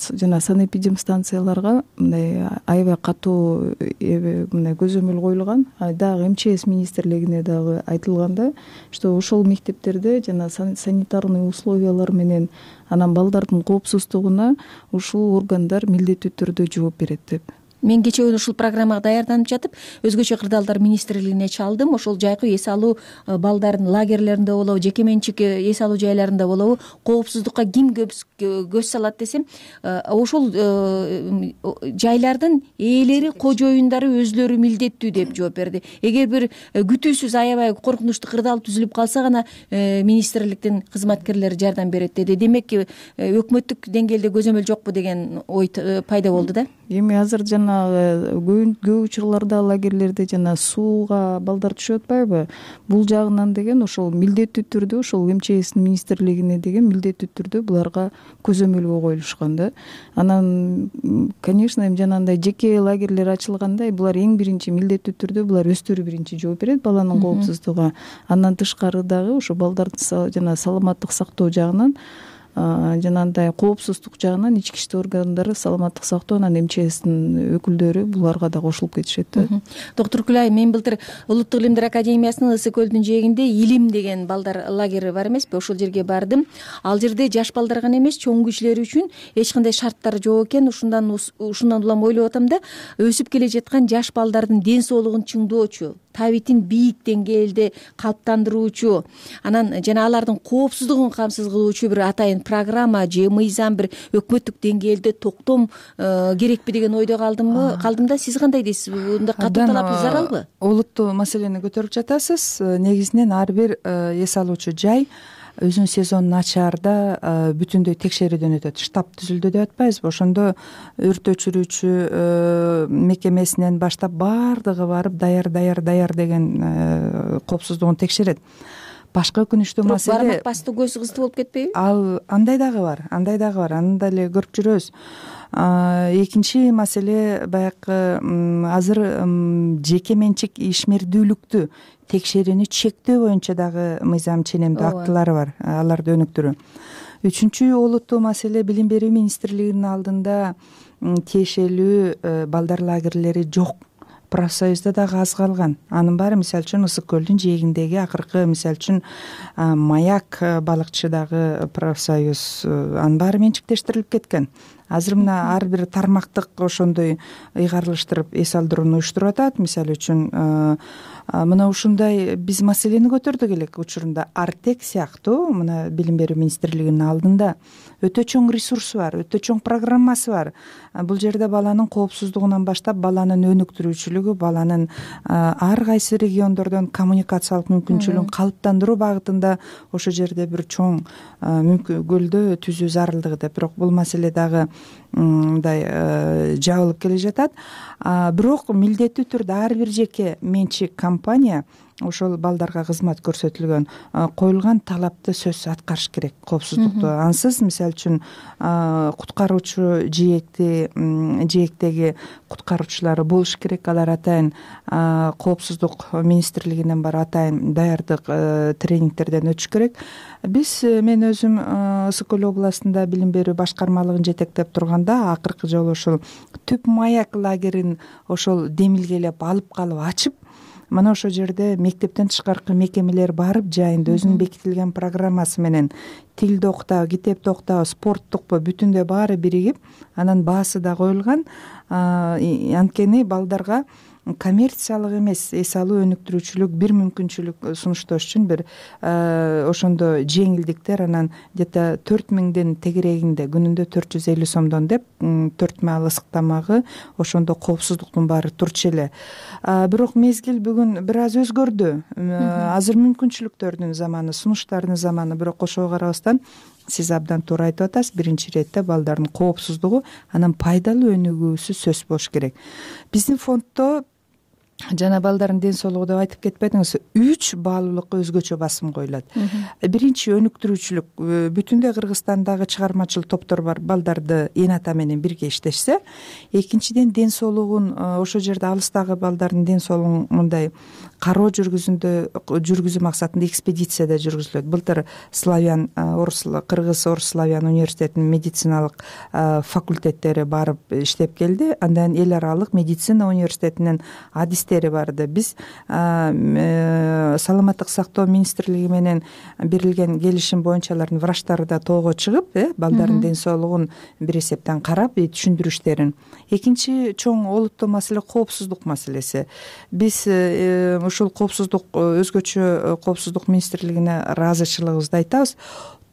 жана санэпидемстанцияларга мындай аябай катуу мындай көзөмөл коюлган. Дагы МЧС министрлигине дагы айтылган да, что ошол мектептерде жана санитарный условиялар менен анан балдардын коопсуздугуна ушул органдар милдеттүү түрдө жооп берет деп. Мен кечээ күнү ушул программага даярданып жатып, өзгөчө кырдаалдар министрлигине чалдым. Ошол жайкы эс алуу балдардын лагерлеринде болобу, жеке менчик эс алуу жайларында болобу, коопсуздукка ким көз салат десем, ошол жайлардын ээлери, кожоюндары өзлөрү милдеттүү деп жооп берди. Эгер бир күтүүсүз аябай коркунучтуу кырдаал түзүлүп калса гана министрликтин кызматкерлери жардам берет деди. Демек, өкмөттүк деңгээлде көзөмөл жокпу деген ой пайда болду да. Эми азыр көп учурларда лагерлерде жана сууга балдар түшүп атпайбы? Бул жагынан деген ошол милдеттүү түрдө ошол МЧСтин министрлигине деген милдеттүү түрдө буларга көзөмөлгө коюлушкан да. Анан, конечно, эми жанагындай жеке лагерлер ачылгандай, булар эң биринчи милдеттүү түрдө булар өздөрү биринчи жооп берет баланын коопсуздугуна. Андан тышкары дагы ошо балдардын жана саламаттык сактоо жагынан, жанагындай коопсуздук жагынан ички иштер органдары, саламаттык сактоо, анан МЧСтин өкүлдөрү буларга да кошулуп кетишет да. Доктор Күлай, мен былтыр Улуттук илимдер академиясынын Ысык көлдүн жээгинде Илим деген балдар лагери бар эмеспи? Ошол жерге бардым. Ал жерде жаш балдар гана эмес, чоң кишилер үчүн эч кандай шарттар жок экен. Ушундан улам ойлоп атам да, өсүп келе жаткан жаш балдардын ден соолугун чыңдоочу, табитин бийик деңгээлде калыптандыруучу, анан жана алардын коопсуздугун камсыз кылуучу бир атайын программа же мыйзам бир өкмөттүк деңгээлде токтом керекпи деген ойдо калдым да. Сиз кандай дейсиз? Мындай катуу талап заралбы? Олуттуу маселени көтөрүп жатасыз. Негизинен ар бир эс алуучу жай өзүнүн сезонун ачаарда бүтүндөй текшерүүдөн өтөт. Штаб түзүлдү деп атпайбызбы? Ошондо өрт өчүрүүчү мекемесинен баштап баардыгы барып даяр деген коопсуздугун текшерет. Башка өкүнүчтүү маселе, бармак басты көз кызды болуп кетпейби? Андай дагы бар. Аны деле көрүп жүрөбүз. Экинчи маселе, баягы азыр жеке менчик ишмердүүлүктү текшерүүнү чектөө боюнча дагы мыйзам ченемдүү актылары бар, аларды өнүктүрүү. Үчүнчү олуттуу маселе, билим берүү министрлигинин алдында тиешелүү балдар лагерлери жок. Профсоюзда дагы аз калган. Анын баары, мисалы үчүн, Ысык көлдүн жээгиндеги акыркы, мисалы үчүн, Маяк балыкчыдагы профсоюз, анын баары менчиктештирилип кеткен. Азыр мына ар бир тармактык ошондой ыйгарылыштырып эс алдырууну уюштуруп атат. Мисалы үчүн, мына ушундай биз маселени көтөрдүк элек учурунда. Артек сыяктуу мына билим берүү министрлигинин алдында өтө чоң ресурсу бар, өтө чоң программасы бар. Бул жерде баланын коопсуздугунан баштап, баланын өнүктүрүүчүлүгү, баланын ар кайсы региондордон коммуникациялык мүмкүнчүлүгүн калыптандыруу багытында ошол жерде бир чоң көлдө түзүү зарылдыгы деп. Бирок бул маселе дагы мындай жабылып келе жатат. Бирок милдеттүү түрдө ар бир жеке менчик компания ошол балдарга кызмат көрсөтүлгөн коюлган талапты сөзсүз аткарыш керек, коопсуздукту. Ансыз, мисалы үчүн, куткаруучу жээктеги куткаруучулары болуш керек. Алар атайын коопсуздук министрлигинен бар атайын даярдык тренингтерден өтүш керек. Мен өзүм Ысык көл областында билим берүү башкармалыгын жетектеп турганда баштаганда акыркы жолу ошол Түп маяк лагерин ошол демилгелеп алып калып ачып, мына ошол жерде мектептен тышкаркы мекемелер барып жайында өзүнүн бекитилген программасы менен тилди окутабы, китепти окутабы, спорттукпу бүтүндөй баары биригип, анан баасы да коюлган. Анткени балдарга коммерциялык эмес эс алуу өнүктүрүүчүлүк бир мүмкүнчүлүк сунуштош үчүн бир ошондо жеңилдиктер, анан где-то 4000дин тегерегинде күнүндө 450 сомдон деп 4 маал ысык тамагы, ошондо коопсуздуктун баары турчу эле. Бирок мезгил бүгүн бир аз өзгөрдү. Азыр мүмкүнчүлүктөрдүн заманы, сунуштардын заманы. Бирок ошого карабастан сиз абдан туура айтып атасыз. Биринчи иретте балдардын коопсуздугу, анан пайдалуу өнүгүүсү сөз болуш керек. Биздин фонддо жана балдардын ден соолугу деп айтып кетпедиңиз, 3 баалуулукка өзгөчө басым коюлат. Биринчи өнүктүрүүчүлүк. Бүтүндөй Кыргызстандагы чыгармачыл топтор бар, балдарды эн ата менен бирге иштешсе. Экинчиден, ден соолугун ошол жерде алыстагы балдардын ден соолугун мындай кароо жүргүзүү максатында экспедицияда жүргүзүлөт. Былтыр Кыргыз Орус Славян университетинин медициналык факультеттери барып иштеп келди. Андан эл аралык медицина университетинин адистери барды. Биз саламаттык сактоо министрлиги менен берилген келишим боюнча алардын врачтары да тоого чыгып, балдардын ден соолугун бир эсептен карап, түшүндүрүштерин. Экинчи чоң олуттуу маселе коопсуздук маселеси. Биз ушул коопсуздук, өзгөчө коопсуздук министрлигине ыраазычылыгыбызды айтабыз.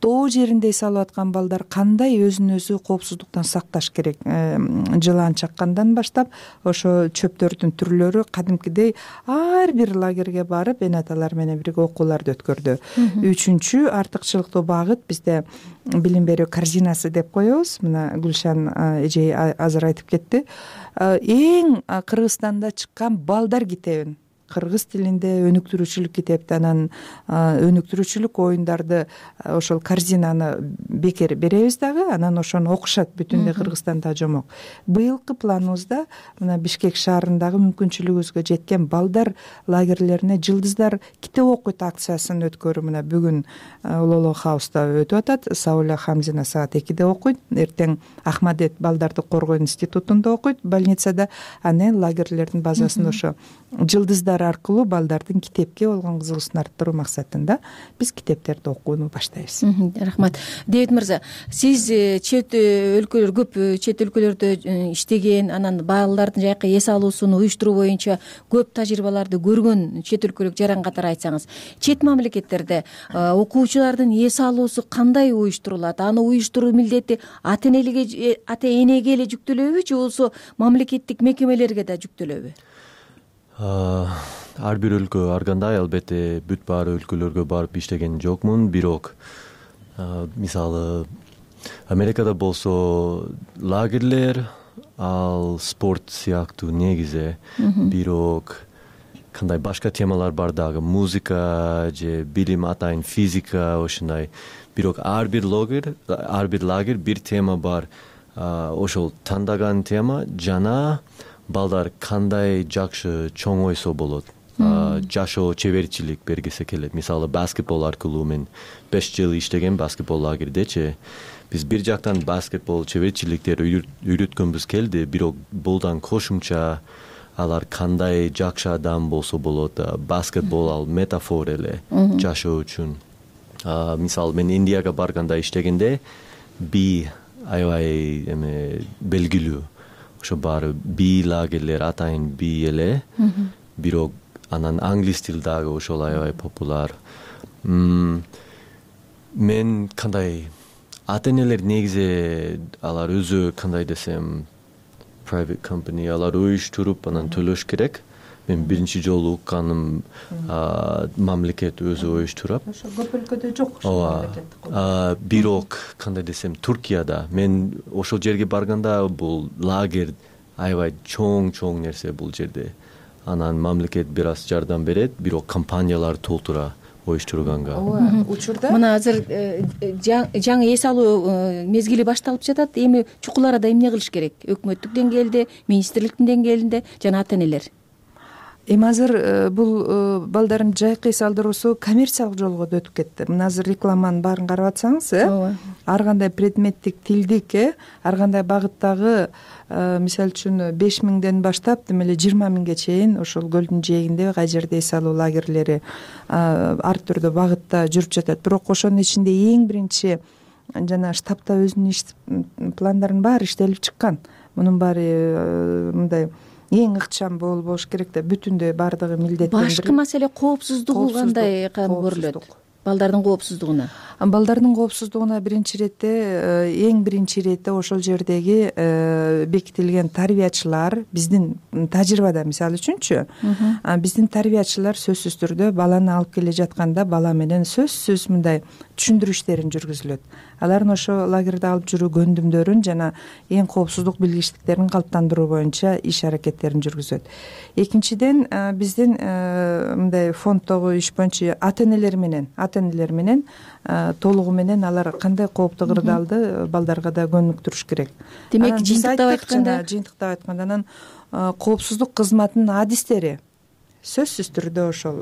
Тоо жеринде эс алып аткан балдар кандай өзүн өзү коопсуздуктан сакташ керек? Жылан чаккандан баштап ошо чөптөрдүн түрлөрү кадимкидей ар бир лагерге барып эн аталар менен бирге окууларды өткөрдү. Үчүнчү артыкчылыктуу багыт бизде билим берүү корзинасы деп коебуз. Мына Гүлшан эжей азыр айтып кетти. Эң Кыргызстанда чыккан балдар китебин, кыргыз тилинде өнүктүрүүчүлүк китепти, анан өнүктүрүүчүлүк оюндарды ошол корзинаны бекер беребиз дагы, анан ошону окушат бүтүндөй Кыргызстанда жомок. Быйылкы планыбызда мына Бишкек шаарындагы мүмкүнчүлүгүбүзгө жеткен балдар лагерлерине жылдыздар китеп окуйт акциясын өткөрүү мына бүгүн Улуулуу Хауста өтүп атат. Сауля Хамзина саат 2-де окуйт, эртең Ахмадет балдарды коргоо институтунда окуйт, больницада. Анан лагерлердин базасында ошо жылдыздар аркылуу балдардын китепке болгон кызыгуусун арттыруу максатында биз китептерди окууну баштайбыз. Рахмат. Дэвид мырза, сиз чет өлкөлөрдө иштеген, анан балдардын жайкы эс алуусун уюштуруу боюнча көп тажрыйбаларды көргөн чет өлкөлүк жаран катары айтсаңыз, чет мамлекеттерде окуучулардын эс алуусу кандай уюштурулат? Аны уюштуруу милдети ата энеге эле жүктөлөбү же болбосо мамлекеттик мекемелерге да жүктөлөбү? Ар бир өлкө ар кандай, албетте бүт баары өлкөлөргө барып иштеген жокмун. Бирок мисалы Америкада болсо лагерлер ал спорт сыяктуу негизи, бирок кандай башка темалар бар дагы, музыка же билим, атайын физика, ошондой. Бирок ар бир лагер бир тема бар. Ошол тандаган тема жана балдар кандай жакшы чоң ойсо болот, жашоо чеберчилик бергисе келет. Мисалы баскетбол аркылуу мен 5 жыл иштеген баскетбол лагердечи. Биз бир жактан баскетбол чеберчиликтерди үйрөткөнбүз келди, бирок булдан кошумча алар кандай жакшы адам болсо болот. Баскетбол ал метафора эле жашоо үчүн. Мисалы мен Индияга барганда иштегенде аябай белгилүү. Ошо баары лагерлер атайын эле. Бирок анан англис тил дагы ошол аябай популяр. Мен кандай ата энелер негизи алар өзү кандай десем private company алар уюштуруп анан төлөш керек. Мен биринчи жолу укканым мамлекет өзү уюштурат. Ошо көп өлкөдө жок. Бирок кандай десем Туркияда мен ошол жерге барганда бул лагерь аябай чоң нерсе бул жерде. Анан мамлекет бир аз жардам берет, бирок компаниялар толтура уюштурганга. Учурда мына азыр жаңы эс алуу мезгили башталып жатат. Эми чукул арада эмне кылыш керек? Өкмөттүк деңгээлде, министрликтин деңгээлинде жана ата энелер. эми азыр бул балдардын жайкы эс алдыруусу коммерциялык жолго да өтүп кетти. Мына азыр рекламанын баарын карап атсаңыз, ар кандай предметтик, тилдик, ар кандай багыттагы, мисалы үчүн 5.000ден баштап демек эле 20.000ге чейин ошол көлдүн жээгинде кай жерде эс алуу лагерлери ар түрдүү багытта жүрүп жатат. Бирок ошонун ичинде эң биринчи жана штабта өзүнүн иш пландарын баары иштелип чыккан. Мунун баары мындай эң ыкчам болуш керек да, бүтүндөй баардыгы милдеттендирилип. Башкы маселе коопсуздугу кандай көрүлөт? Балдардын коопсуздугуна? Балдардын коопсуздугуна эң биринчи иретте ошол жердеги бекитилген тарбиячылар, биздин тажрыйбада мисалы үчүнчү, биздин тарбиячылар сөзсүз түрдө баланы алып келе жатканда бала менен сөзсүз мындай түшүндүрүү иштерин жүргүзүлөт. Алардын ошо лагерде алып жүрүү көндүмдөрүн жана эң коопсуздук билгичтиктерин калыптандыруу боюнча иш аракеттерин жүргүзөт. Экинчиден, биздин мындай фонддогу иш боюнча ата энелер менен толугу менен алар кандай кооптуу кырдаалды балдарга да көнүктүрүш керек. Демек, жыйынтыктап айтканда анан коопсуздук кызматынын адистери сөзсүз түрдө ошол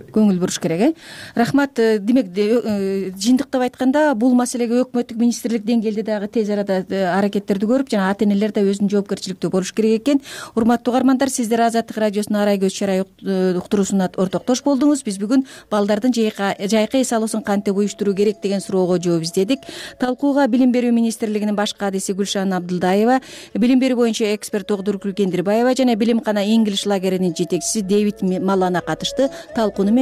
көңүл буруш керек. Рахмат. Демек, жыйынтыктап айтканда бул маселеге өкмөттүк министрлик деңгээлде дагы тез арада аракеттерди көрүп, жана ата энелер да өзүнүн жоопкерчиликтүү болуш керек экен. Урматтуу угармандар, сиздер Азаттык радиосунун Арай көз чарай уктуруусуна ортоктош болдуңуз. Биз бүгүн балдардын жайкы эс алуусун кантип уюштуруу керек деген суроого жооп издедик. Талкууга Билим берүү министрлигинин баш кадиси Гүлшан Абдылдаева, билим берүү боюнча эксперт Огдур Кендирбаева жана Билимкана English лагеринин жетекчиси Дэвид Малана катышты. Талкууну